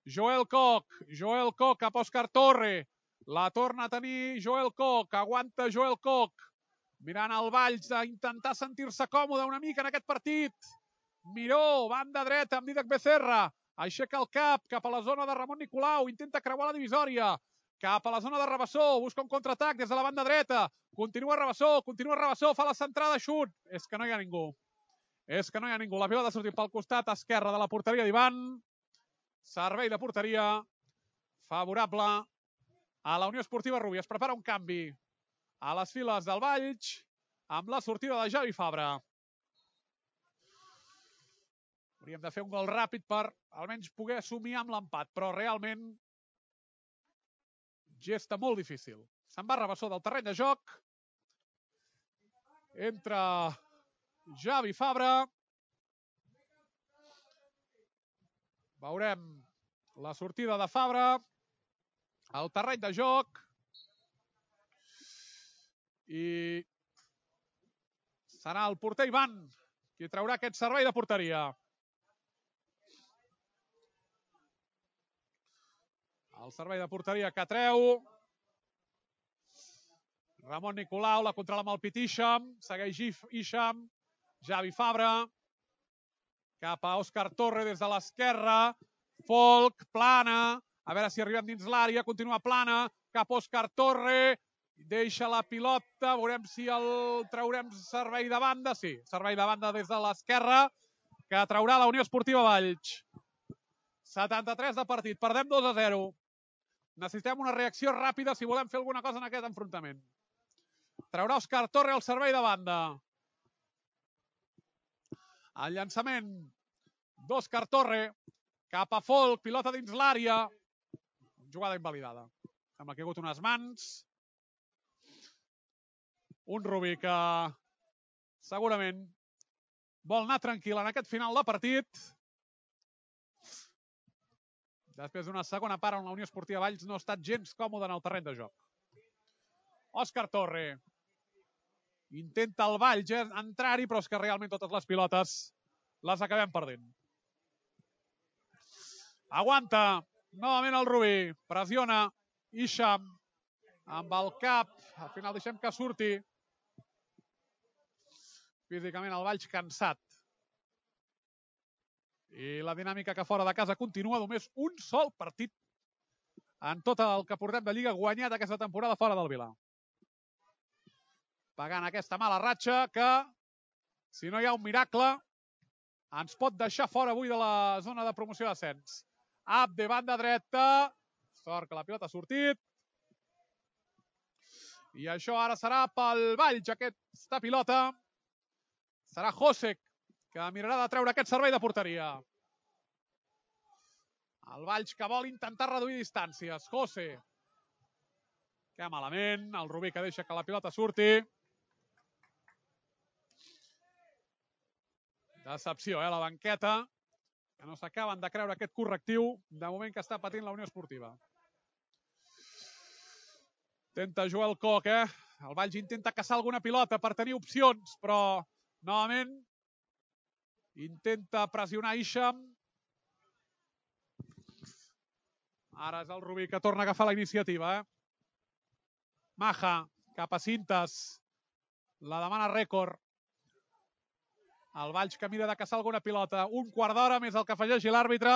Joel Koch, Joel Koch cap a Òscar Torre. La torna a tenir Joel Koch, aguanta Joel Koch. Mirant el Valls a intentar sentir-se còmode una mica en aquest partit. Miró, banda dreta amb Dídac Becerra. Aixeca el cap cap a la zona de Ramon Nicolau. Intenta creuar la divisòria. Cap a la zona de Rabassó. Busca un contraatac des de la banda dreta. Continua Rabassó, continua Rabassó. Fa la centrada, xut. És que no hi ha ningú. És que no hi ha ningú. La pilota ha sortit pel costat esquerre de la porteria d'Ivan. Servei de porteria favorable a la Unió Esportiva Rubí. Es prepara un canvi a les files del Valls amb la sortida de Javi Fabra. Hauríem de fer un gol ràpid per almenys poder somiar amb l'empat, però realment gesta molt difícil. Se'n va Rabassó del terreny de joc. Entra Javi Fabra. Veurem la sortida de Fabra al terreny de joc. I serà el porter Ivan qui traurà aquest servei de porteria. El servei de porteria que treu. Ramon Nicolau, la controla amb el pit Isham. Segueix Isham. Javi Fabra. Cap a Òscar Torre des de l'esquerra. Folk, plana. A veure si arribem dins l'àrea. Continua plana. Cap a Òscar Torre. Deixa la pilota. Veurem si el traurem servei de banda. Sí, servei de banda des de l'esquerra. Que traurà la Unió Esportiva Valls. setanta-tres de partit. Perdem dos a zero. Necessitem una reacció ràpida si volem fer alguna cosa en aquest enfrontament. Traurà Òscar Torre al servei de banda. El llançament d'Òscar Torre cap a Folk, pilota dins l'àrea. Jugada invalidada. Sembla que hi ha hagut unes mans. Un Rubí que segurament vol anar tranquil en aquest final de partit. Després d'una segona part on la Unió Esportiva Valls no ha estat gens còmode en el terreny de joc. Òscar Torre. Intenta el Valls eh, entrar-hi, però és que realment totes les pilotes les acabem perdent. Aguanta. Novament el Rubí. Pressiona. Isham. Amb el cap. Al final deixem que surti. Físicament el Valls cansat. I la dinàmica que fora de casa continua. Només un sol partit en tot el que portem de Lliga guanyat aquesta temporada fora del Vilar. Pagant aquesta mala ratxa que, si no hi ha un miracle, ens pot deixar fora avui de la zona de promoció d'ascens. Abde, banda dreta. Sort que la pilota ha sortit. I això ara serà pel Valls, aquesta pilota. Serà Josek que mirarà de treure aquest servei de porteria. El Valls que vol intentar reduir distàncies. José. Que malament. El Rubí que deixa que la pilota surti. Decepció, eh, la banqueta. Que no s'acaben de creure aquest correctiu de moment que està patint la Unió Esportiva. Intenta Joel Koch, eh? El Valls intenta caçar alguna pilota per tenir opcions, però novament intenta pressionar Isham. Ara és el Rubí que torna a agafar la iniciativa. Eh? Maja, cap a Cintas. La demana rècord. El Valls que mira de caçar alguna pilota. Un quart d'hora més el que afegeixi l'àrbitre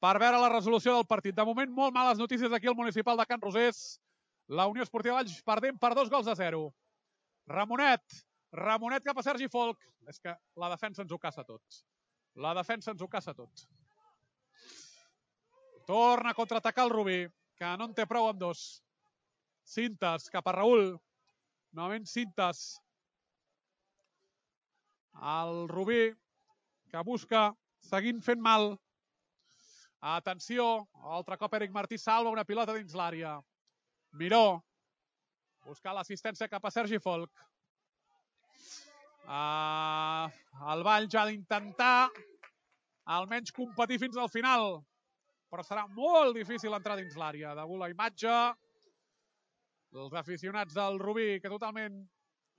per veure la resolució del partit. De moment, molt males notícies aquí al municipal de Can Rosés. La Unió Esportiva Valls perdent per dos gols a zero. Ramonet. Ramonet cap a Sergi Folk. És que la defensa ens ho caça tots. La defensa ens ho caça tots. Torna a contraatacar el Rubí, que no en té prou amb dos. Cintas cap a Raül. Novament Cintas. El Rubí que busca, seguint fent mal. Atenció, altre cop Eric Martí salva una pilota dins l'àrea. Miró. Buscar l'assistència cap a Sergi Folk. Uh, el Valls ha d'intentar almenys competir fins al final. Però serà molt difícil entrar dins l'àrea. Degut la imatge, els aficionats del Rubí que totalment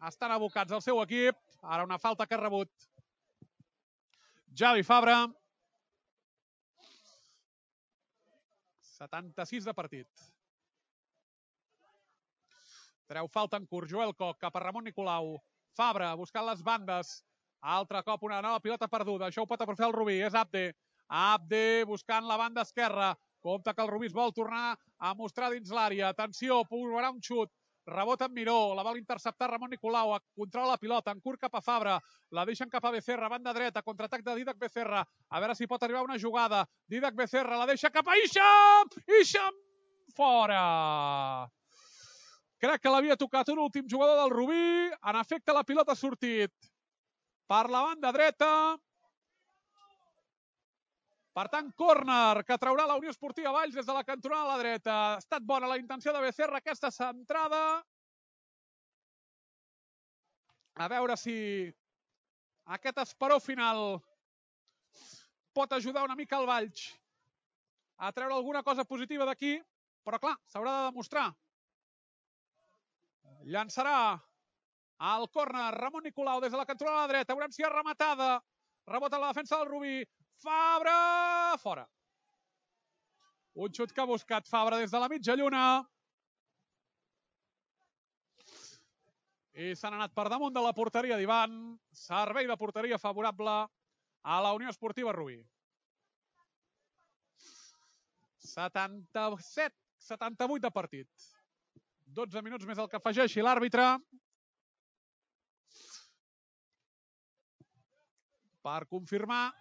estan abocats al seu equip. Ara una falta que ha rebut Javi Fabra. setanta-sis de partit. Treu falta en curt. Joel Koch cap a Ramon Nicolau. Fabra buscant les bandes. Altre cop una nova pilota perduda. Això ho pot aprofitar el Rubí. És Abde. Abde buscant la banda esquerra. Compte que el Rubí es vol tornar a mostrar dins l'àrea. Atenció, provarà un xut. Rebota en Miró, la vol interceptar Ramon Nicolau, controla la pilota, en curt cap a Fabra, la deixen cap a Becerra, banda dreta, contraatac de Didac Becerra, a veure si pot arribar una jugada, Didac Becerra la deixa cap a Isham, Isham fora! Crec que l'havia tocat un últim jugador del Rubí, en efecte la pilota ha sortit per la banda dreta, per tant, córner que traurà la Unió Esportiva Valls des de la cantonada a la dreta. Ha estat bona la intenció de Becerra, aquesta centrada. A veure si aquest esperó final pot ajudar una mica el Valls a treure alguna cosa positiva d'aquí, però clar, s'haurà de demostrar. Llançarà el córner Ramon Nicolau des de la cantonada a la dreta. Veurem si és rematada. Rebota la defensa del Rubí. Fabra, fora. Un xut que ha buscat Fabra des de la mitja lluna. I s'han anat per damunt de la porteria d'Ivan. Servei de porteria favorable a la Unió Esportiva Rubí. setanta-set setanta-vuit de partit. dotze minuts més el que afegeixi l'àrbitre. Per confirmar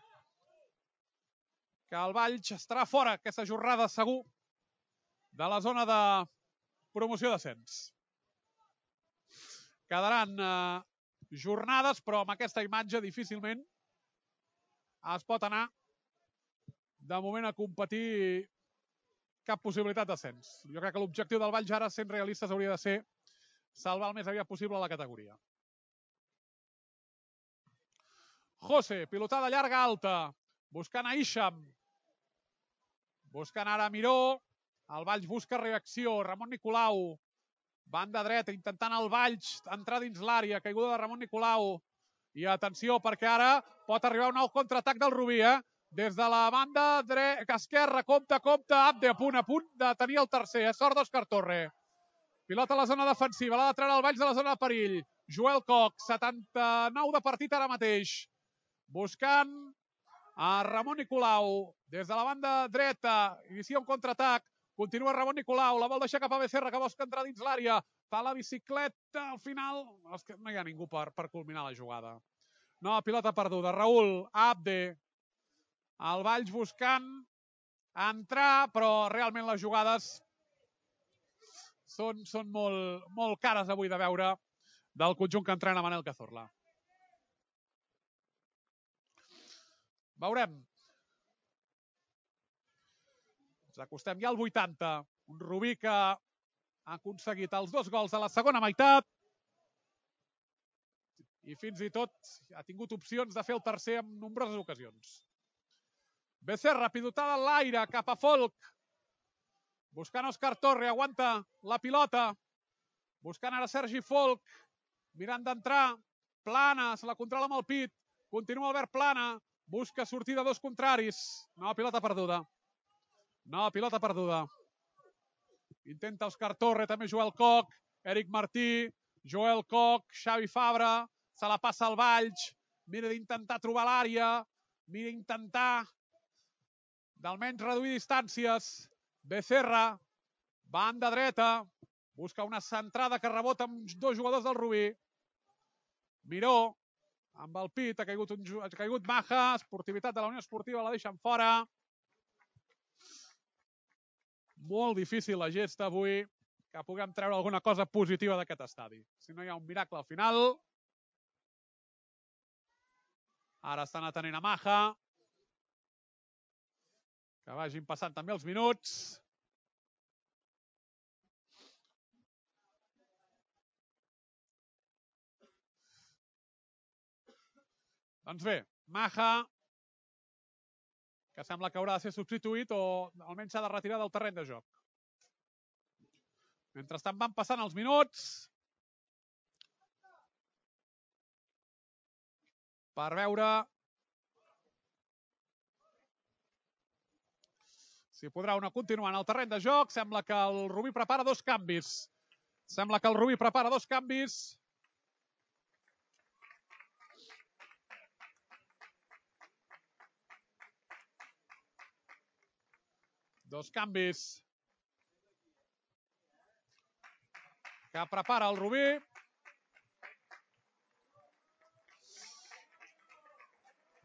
que el Valls estarà fora aquesta jornada segur de la zona de promoció d'ascens. Quedaran eh, jornades, però amb aquesta imatge difícilment es pot anar de moment a competir cap possibilitat d'ascens. Jo crec que l'objectiu del Valls ara, sent realistes, hauria de ser salvar el més aviat possible la categoria. José, pilotada llarga alta, buscant a Isham. Buscant ara Miró, el Valls busca reacció, Ramon Nicolau, banda dreta, intentant el Valls entrar dins l'àrea, caiguda de Ramon Nicolau, i atenció perquè ara pot arribar un nou contraatac del Rubí, eh? Des de la banda dreta, esquerra, compte, compte, Abde a punt, a punt de tenir el tercer, eh? Sort d'Òscar Torre. Pilota a la zona defensiva, l'ha de treure el Valls de la zona de perill. Joel Koch, setanta-nou de partit ara mateix. Buscant a Ramon Nicolau, des de la banda dreta, inicia un contraatac, continua Ramon Nicolau, la vol deixar cap a Becerra, que busca entrar dins l'àrea, fa la bicicleta, al final, és que no hi ha ningú per, per culminar la jugada. No, pilota perduda, Raül, Abde, el Valls buscant entrar, però realment les jugades són, són molt, molt cares avui de veure del conjunt que entrena Manel Cazorla. Veurem. Ens acostem ja al vuitanta. Un Rubí que ha aconseguit els dos gols de la segona meitat i fins i tot ha tingut opcions de fer el tercer en nombroses ocasions. Becerra, pilotada en l'aire, cap a Folk. Buscant Òscar Torre, aguanta la pilota. Buscant ara Sergi Folk. Mirant d'entrar. Plana, se la controla amb el pit. Continua Albert Plana. Busca sortir de dos contraris. No, pilota perduda. No, pilota perduda. Intenta Òscar Torre, també Joel Koch. Eric Martí. Joel Koch, Xavi Fabra. Se la passa al Valls. Mira d'intentar trobar l'àrea. Mira d'intentar d'almenys reduir distàncies. Becerra. Banda dreta. Busca una centrada que rebota amb dos jugadors del Rubí. Miró. Amb el pit, ha caigut, un, ha caigut Maja, esportivitat de la Unió Esportiva, la deixen fora. Molt difícil la gesta avui, que puguem treure alguna cosa positiva d'aquest estadi. Si no hi ha un miracle al final. Ara estan atenent a Maja. Que vagin passant també els minuts. Doncs bé, Maja, que sembla que haurà de ser substituït o almenys s'ha de retirar del terreny de joc. Mentrestant van passant els minuts per veure si podrà una continuar en el terreny de joc. Sembla que el Rubí prepara dos canvis. Sembla que el Rubí prepara dos canvis. Dos canvis que prepara el Rubí.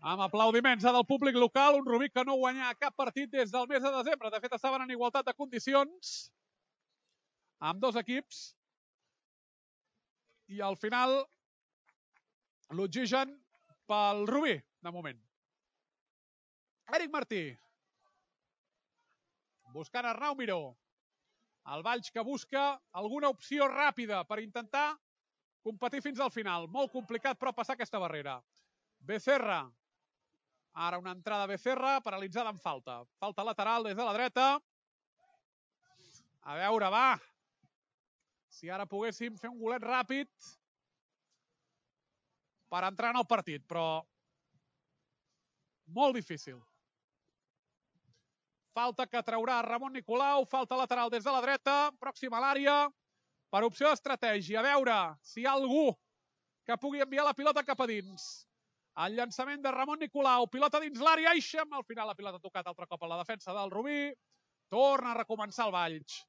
Amb aplaudiments del públic local, un Rubí que no guanya cap partit des del mes de desembre. De fet, estaven en igualtat de condicions amb dos equips. I al final, l'oxigen pel Rubí, de moment. Éric Martí. Buscant Arnau Miró. El Valls que busca alguna opció ràpida per intentar competir fins al final. Molt complicat, però, passar aquesta barrera. Becerra. Ara una entrada Becerra, paralitzada en falta. Falta lateral des de la dreta. A veure, va. Si ara poguéssim fer un golet ràpid per entrar en el partit, però molt difícil. Falta que traurà Ramon Nicolau, falta lateral des de la dreta, pròxima a l'àrea, per opció d'estratègia. A veure si hi ha algú que pugui enviar la pilota cap a dins. El llançament de Ramon Nicolau, pilota dins l'àrea, Ixam, al final la pilota ha tocat altre cop a la defensa del Rubí, torna a recomençar el Valls.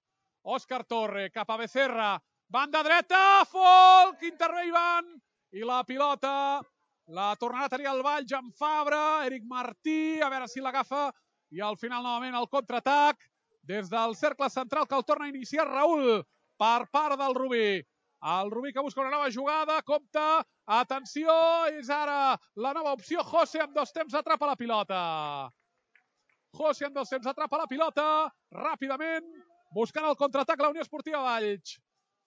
Òscar Torre, cap a Becerra, banda dreta, Folk, intervé Ivan, i la pilota la tornarà a tenir el Valls amb Fabra, Éric Martí, a veure si l'agafa, i al final novament el contraatac des del cercle central que el torna a iniciar Raül per part del Rubí. El Rubí que busca una nova jugada, compta, atenció, és ara la nova opció, José amb dos temps atrapa la pilota. José amb dos temps atrapa la pilota, ràpidament, buscant el contraatac la Unió Esportiva Valls.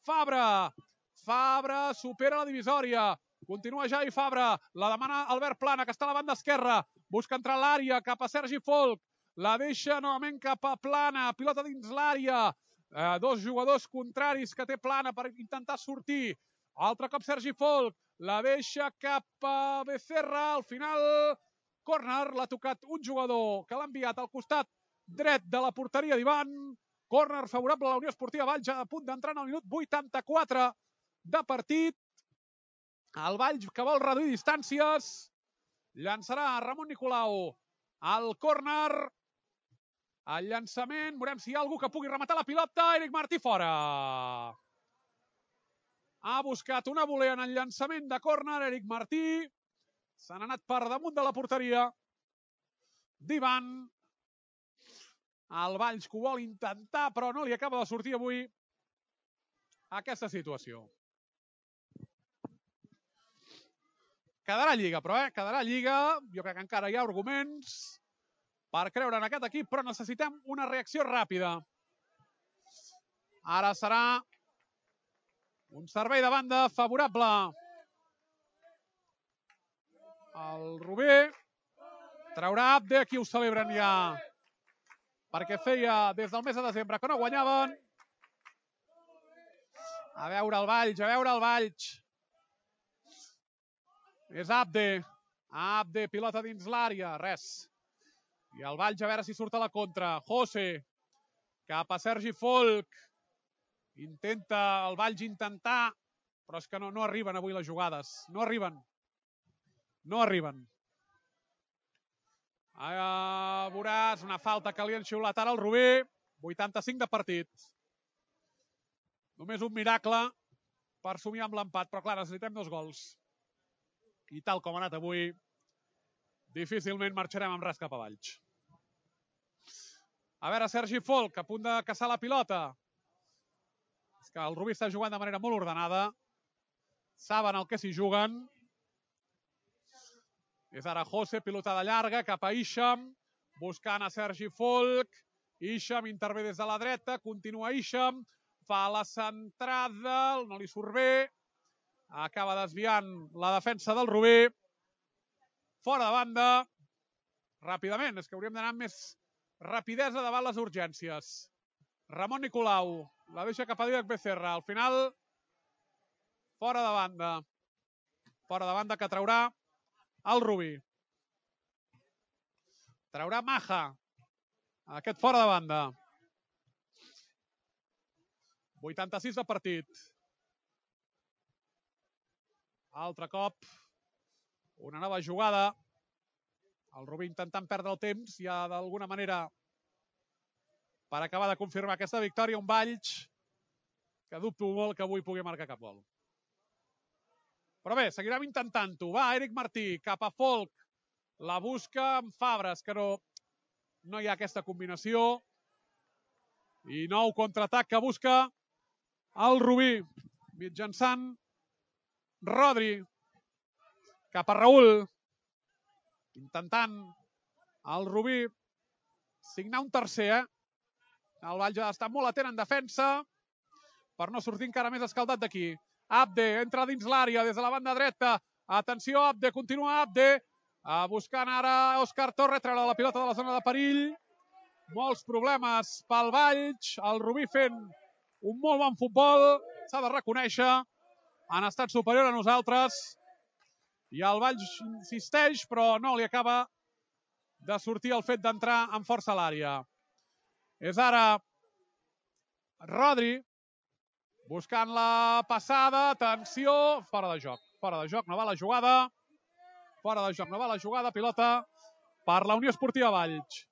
Fabra, Fabra supera la divisòria, continua Javi Fabra, la demana Albert Plana, que està a la banda esquerra, busca entrar a l'àrea, cap a Sergi Folk, la deixa novament cap a Plana, pilota dins l'àrea, eh, dos jugadors contraris que té Plana per intentar sortir, altre cop Sergi Folk, la deixa cap a Becerra, al final, córner, l'ha tocat un jugador que l'ha enviat al costat dret de la porteria d'Ivan, córner favorable a la Unió Esportiva Valls, a punt d'entrar en el minut vuitanta-quatre de partit, el Valls que vol reduir distàncies, llançarà Ramon Nicolau al córner, el llançament, veurem si hi ha algú que pugui rematar la pilota, Éric Martí fora. Ha buscat una volea en el llançament de córner, Éric Martí, se n'ha anat per damunt de la porteria d'Ivan. El Valls que ho vol intentar, però no li acaba de sortir avui aquesta situació. Quedarà Lliga, però, eh? Quedarà Lliga. Jo crec que encara hi ha arguments per creure en aquest equip, però necessitem una reacció ràpida. Ara serà un servei de banda favorable. El Rubí traurà Abde, aquí ho celebren ja, perquè feia des del mes de desembre que no guanyaven. A veure el Valls, a veure el Valls. És Abde. Abde, pilota dins l'àrea, res. I el Valls a veure si surt a la contra. José, cap a Sergi Folk. Intenta el Valls intentar, però és que no, no arriben avui les jugades. No arriben. No arriben. A veuràs una falta que li han xiulat ara al Rubí. vuitanta-cinc de partit. Només un miracle per somiar amb l'empat, però clar, necessitem dos gols. I tal com ha anat avui, difícilment marxarem amb res cap a Valls. A veure, Sergi Folk, a punt de caçar la pilota. És que el Rubí està jugant de manera molt ordenada. Saben el que s'hi juguen. És ara José, pilotada llarga, cap a Ixam, buscant a Sergi Folk. Ixam intervé des de la dreta, continua Ixam, fa la centrada, no li surt bé. Acaba desviant la defensa del Rubí. Fora de banda. Ràpidament, és que hauríem d'anar amb més rapidesa davant les urgències. Ramon Nicolau, la deixa cap a Dídac Becerra. Al final, fora de banda. Fora de banda que traurà el Rubí. Traurà Maja. Aquest fora de banda. vuitanta-sis de partit. Altre cop. Una nova jugada. El Rubí intentant perdre el temps, ja d'alguna manera, per acabar de confirmar aquesta victòria. Un Valls que dubto molt que avui pugui marcar cap gol. Però bé, seguirem intentant-ho. Va, Eric Martí, cap a Folk. La busca amb Fabres, que no, no hi ha aquesta combinació. I nou contraatac que busca el Rubí. Mitjançant Rodri. Cap a Raül. Intentant el Rubí signar un tercer, eh? El Valls ha d'estar molt atent en defensa per no sortir encara més escaldat d'aquí. Abde entra dins l'àrea des de la banda dreta. Atenció, Abde, continua Abde. Buscant ara Òscar Torre, treure la pilota de la zona de perill. Molts problemes pel Valls. El Rubí fent un molt bon futbol. S'ha de reconèixer. Han estat superior a nosaltres. I el Valls insisteix, però no li acaba de sortir el fet d'entrar amb força a l'àrea. És ara Rodri buscant la passada. Atenció, fora de joc. Fora de joc, no va la jugada. Fora de joc, no va la jugada. Pilota per la Unió Esportiva Valls.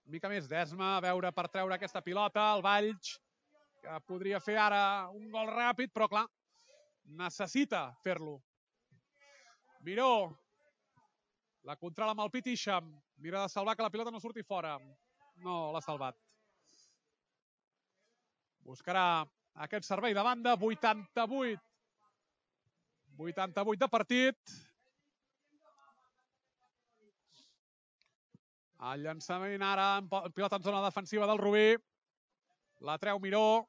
Una mica més d'esma, a veure per treure aquesta pilota. El Valls, que podria fer ara un gol ràpid, però clar, necessita fer-lo. Miró, la controla amb el pit Isham. Mira de salvar que la pilota no surti fora. No l'ha salvat. Buscarà aquest servei de banda. vuitanta-vuit. vuitanta-vuit de partit. El llançament ara, pilota en zona defensiva del Rubí. La treu Miró.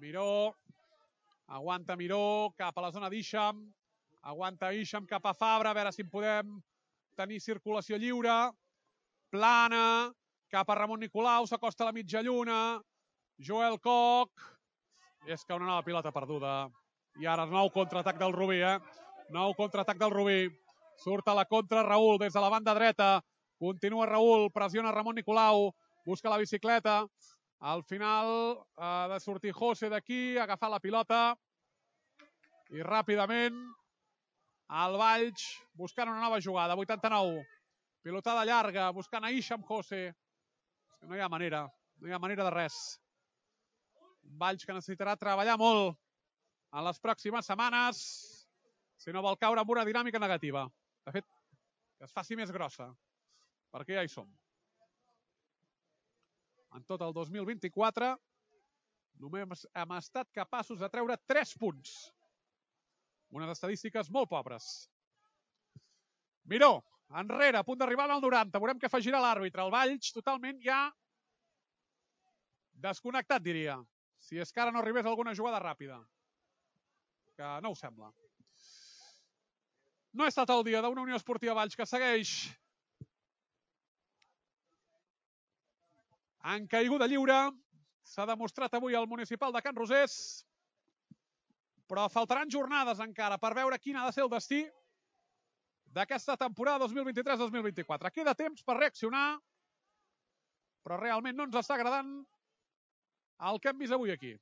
Miró. Aguanta Miró cap a la zona d'Isham. Aguanta Isham cap a Fabra. A veure si en podem tenir circulació lliure. Plana. Cap a Ramon Nicolau. S'acosta a la mitja lluna. Joel Koch. És que una nova pilota perduda. I ara nou contraatac del Rubí, eh? Nou contraatac del Rubí. Surt a la contra Raül des de la banda dreta. Continua Raül. Pressiona Ramon Nicolau. Busca la bicicleta. Al final ha de sortir José d'aquí, agafar la pilota. I ràpidament el Valls buscant una nova jugada. vuitanta-nou. Pilotada llarga, buscant a Isham José. No hi ha manera. No hi ha manera de res. Un Valls que necessitarà treballar molt en les pròximes setmanes si no vol caure en una dinàmica negativa. De fet, que es faci més grossa. Perquè ja hi som. En tot el dos mil vint-i-quatre només hem estat capaços de treure tres punts. Unes estadístiques molt pobres. Miró, enrere, a punt d'arribar al noranta. Veurem què afegirà l'àrbitre. El Valls totalment ja desconnectat, diria. Si és que ara no arribés alguna jugada ràpida. Que no ho sembla. No ha estat el dia d'una Unió Esportiva Valls que segueix en caiguda lliure. S'ha demostrat avui al municipal de Can Rosés. Però faltaran jornades encara per veure quin ha de ser el destí d'aquesta temporada dos mil vint-i-tres dos mil vint-i-quatre. Queda temps per reaccionar, però realment no ens està agradant el que hem vist avui aquí.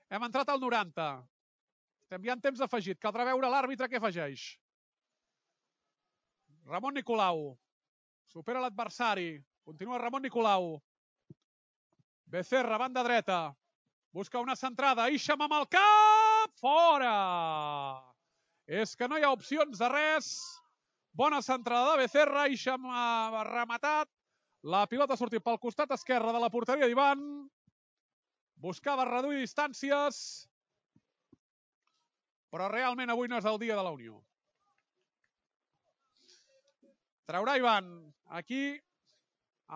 Hem entrat al noranta. Estem ja en temps afegit. Caldrà veure l'àrbitre què afegeix. Ramon Nicolau. Supera l'adversari. Continua Ramon Nicolau. Becerra, banda dreta. Busca una centrada. Isham amb el cap. Fora! És que no hi ha opcions de res. Bona centrada de Becerra. Isham ha rematat. La pilota ha sortit pel costat esquerre de la porteria d'Ivan. Buscava reduir distàncies. Però realment avui no és el dia de la Unió. Traurà Ivan. Aquí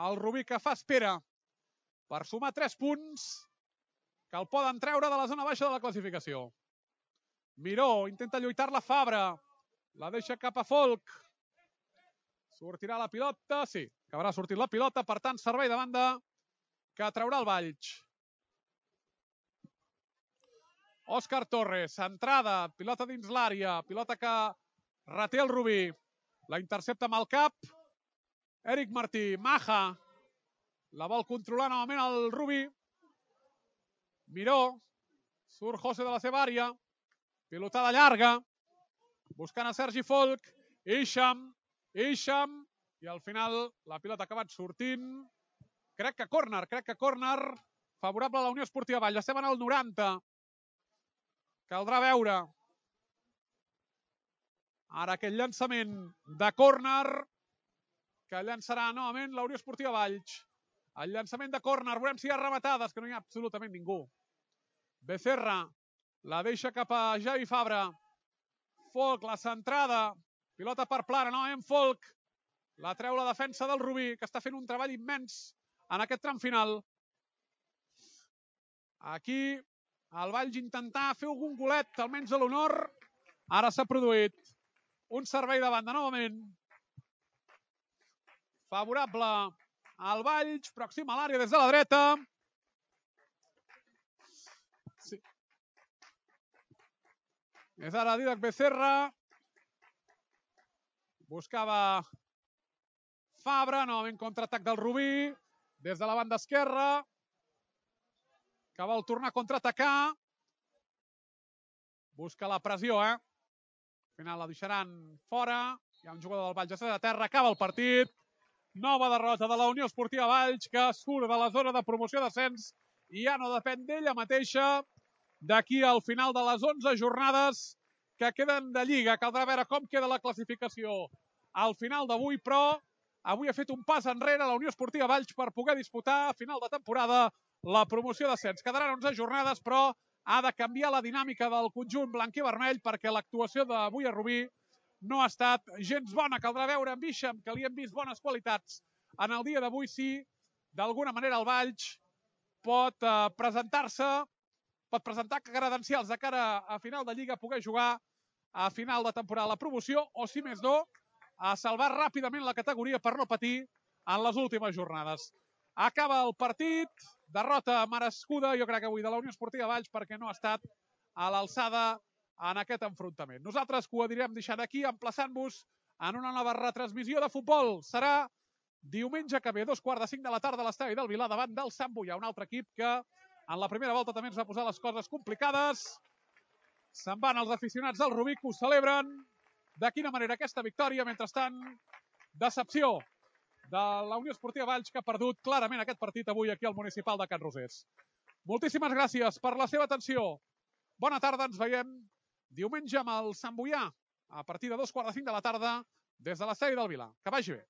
el Rubí que fa espera per sumar tres punts que el poden treure de la zona baixa de la classificació. Miró intenta lluitar-la Fabra. La deixa cap a Folk. Sortirà la pilota. Sí, acabarà sortint la pilota. Per tant, servei de banda que traurà el Valls. Òscar Torres, centrada. Pilota dins l'àrea. Pilota que reté el Rubí. La intercepta amb el cap. Eric Martí, Maja. La vol controlar novament el Rubí. Miró. Surt José de la seva àrea. Pilotada llarga. Buscant a Sergi Folk. Isham. Isham. I al final la pilota ha acabat sortint. Crec que córner, crec que córner favorable a la Unió Esportiva Valls. Estem en el noranta. Caldrà veure. Ara aquest llançament de córner que llançarà novament la Unió Esportiva Valls. El llançament de córner. Veurem si hi ha rematades, que no hi ha absolutament ningú. Becerra la deixa cap a Javi Fabra. Folk, la centrada. Pilota per Plana, novament Folk. La treu la defensa del Rubí, que està fent un treball immens en aquest tram final. Aquí el Valls intentar fer algun golet, almenys a l'honor. Ara s'ha produït un servei de banda novament. Favorable al Valls, pròxim a l'àrea des de la dreta. Sí. És ara Didac Becerra. Buscava Fabra, novament contraatac del Rubí. Des de la banda esquerra. Que vol tornar a contraatacar. Busca la pressió, eh? Al final la deixaran fora. Hi ha un jugador del Valls a terra. Acaba el partit. Nova derrota de la Unió Esportiva Valls, que surt de la zona de promoció d'ascens i ja no depèn d'ella mateixa d'aquí al final de les onze jornades que queden de Lliga. Caldrà veure com queda la classificació al final d'avui, però avui ha fet un pas enrere la Unió Esportiva Valls per poder disputar a final de temporada la promoció d'ascens. Quedaran onze jornades, però ha de canviar la dinàmica del conjunt blanc i vermell perquè l'actuació d'avui a Rubí no ha estat gens bona. Caldrà veure amb Isham, que li hem vist bones qualitats en el dia d'avui, si d'alguna manera el Valls pot eh, presentar-se, pot presentar credencials de cara a final de Lliga, poder jugar a final de temporada la promoció, o si més no, a salvar ràpidament la categoria per no patir en les últimes jornades. Acaba el partit, derrota merescuda, jo crec que avui de la Unió Esportiva Valls, perquè no ha estat a l'alçada en aquest enfrontament. Nosaltres que ho anirem deixant aquí, emplaçant-vos en una nova retransmissió de futbol. Serà diumenge que ve, dos quarts de cinc de la tarda a l'estadi del Vilar, davant del Sant Boià, un altre equip que en la primera volta també ens va posar les coses complicades. Se'n van els aficionats del Rubí, que ho celebren. De quina manera aquesta victòria? Mentrestant, decepció de la Unió Esportiva Valls, que ha perdut clarament aquest partit avui aquí al Municipal de Can Rosés. Moltíssimes gràcies per la seva atenció. Bona tarda, ens veiem diumenge amb el Sant Boià a partir de dos quarts de cinc de la tarda des de l'estadi del Vilar. Que vagi bé.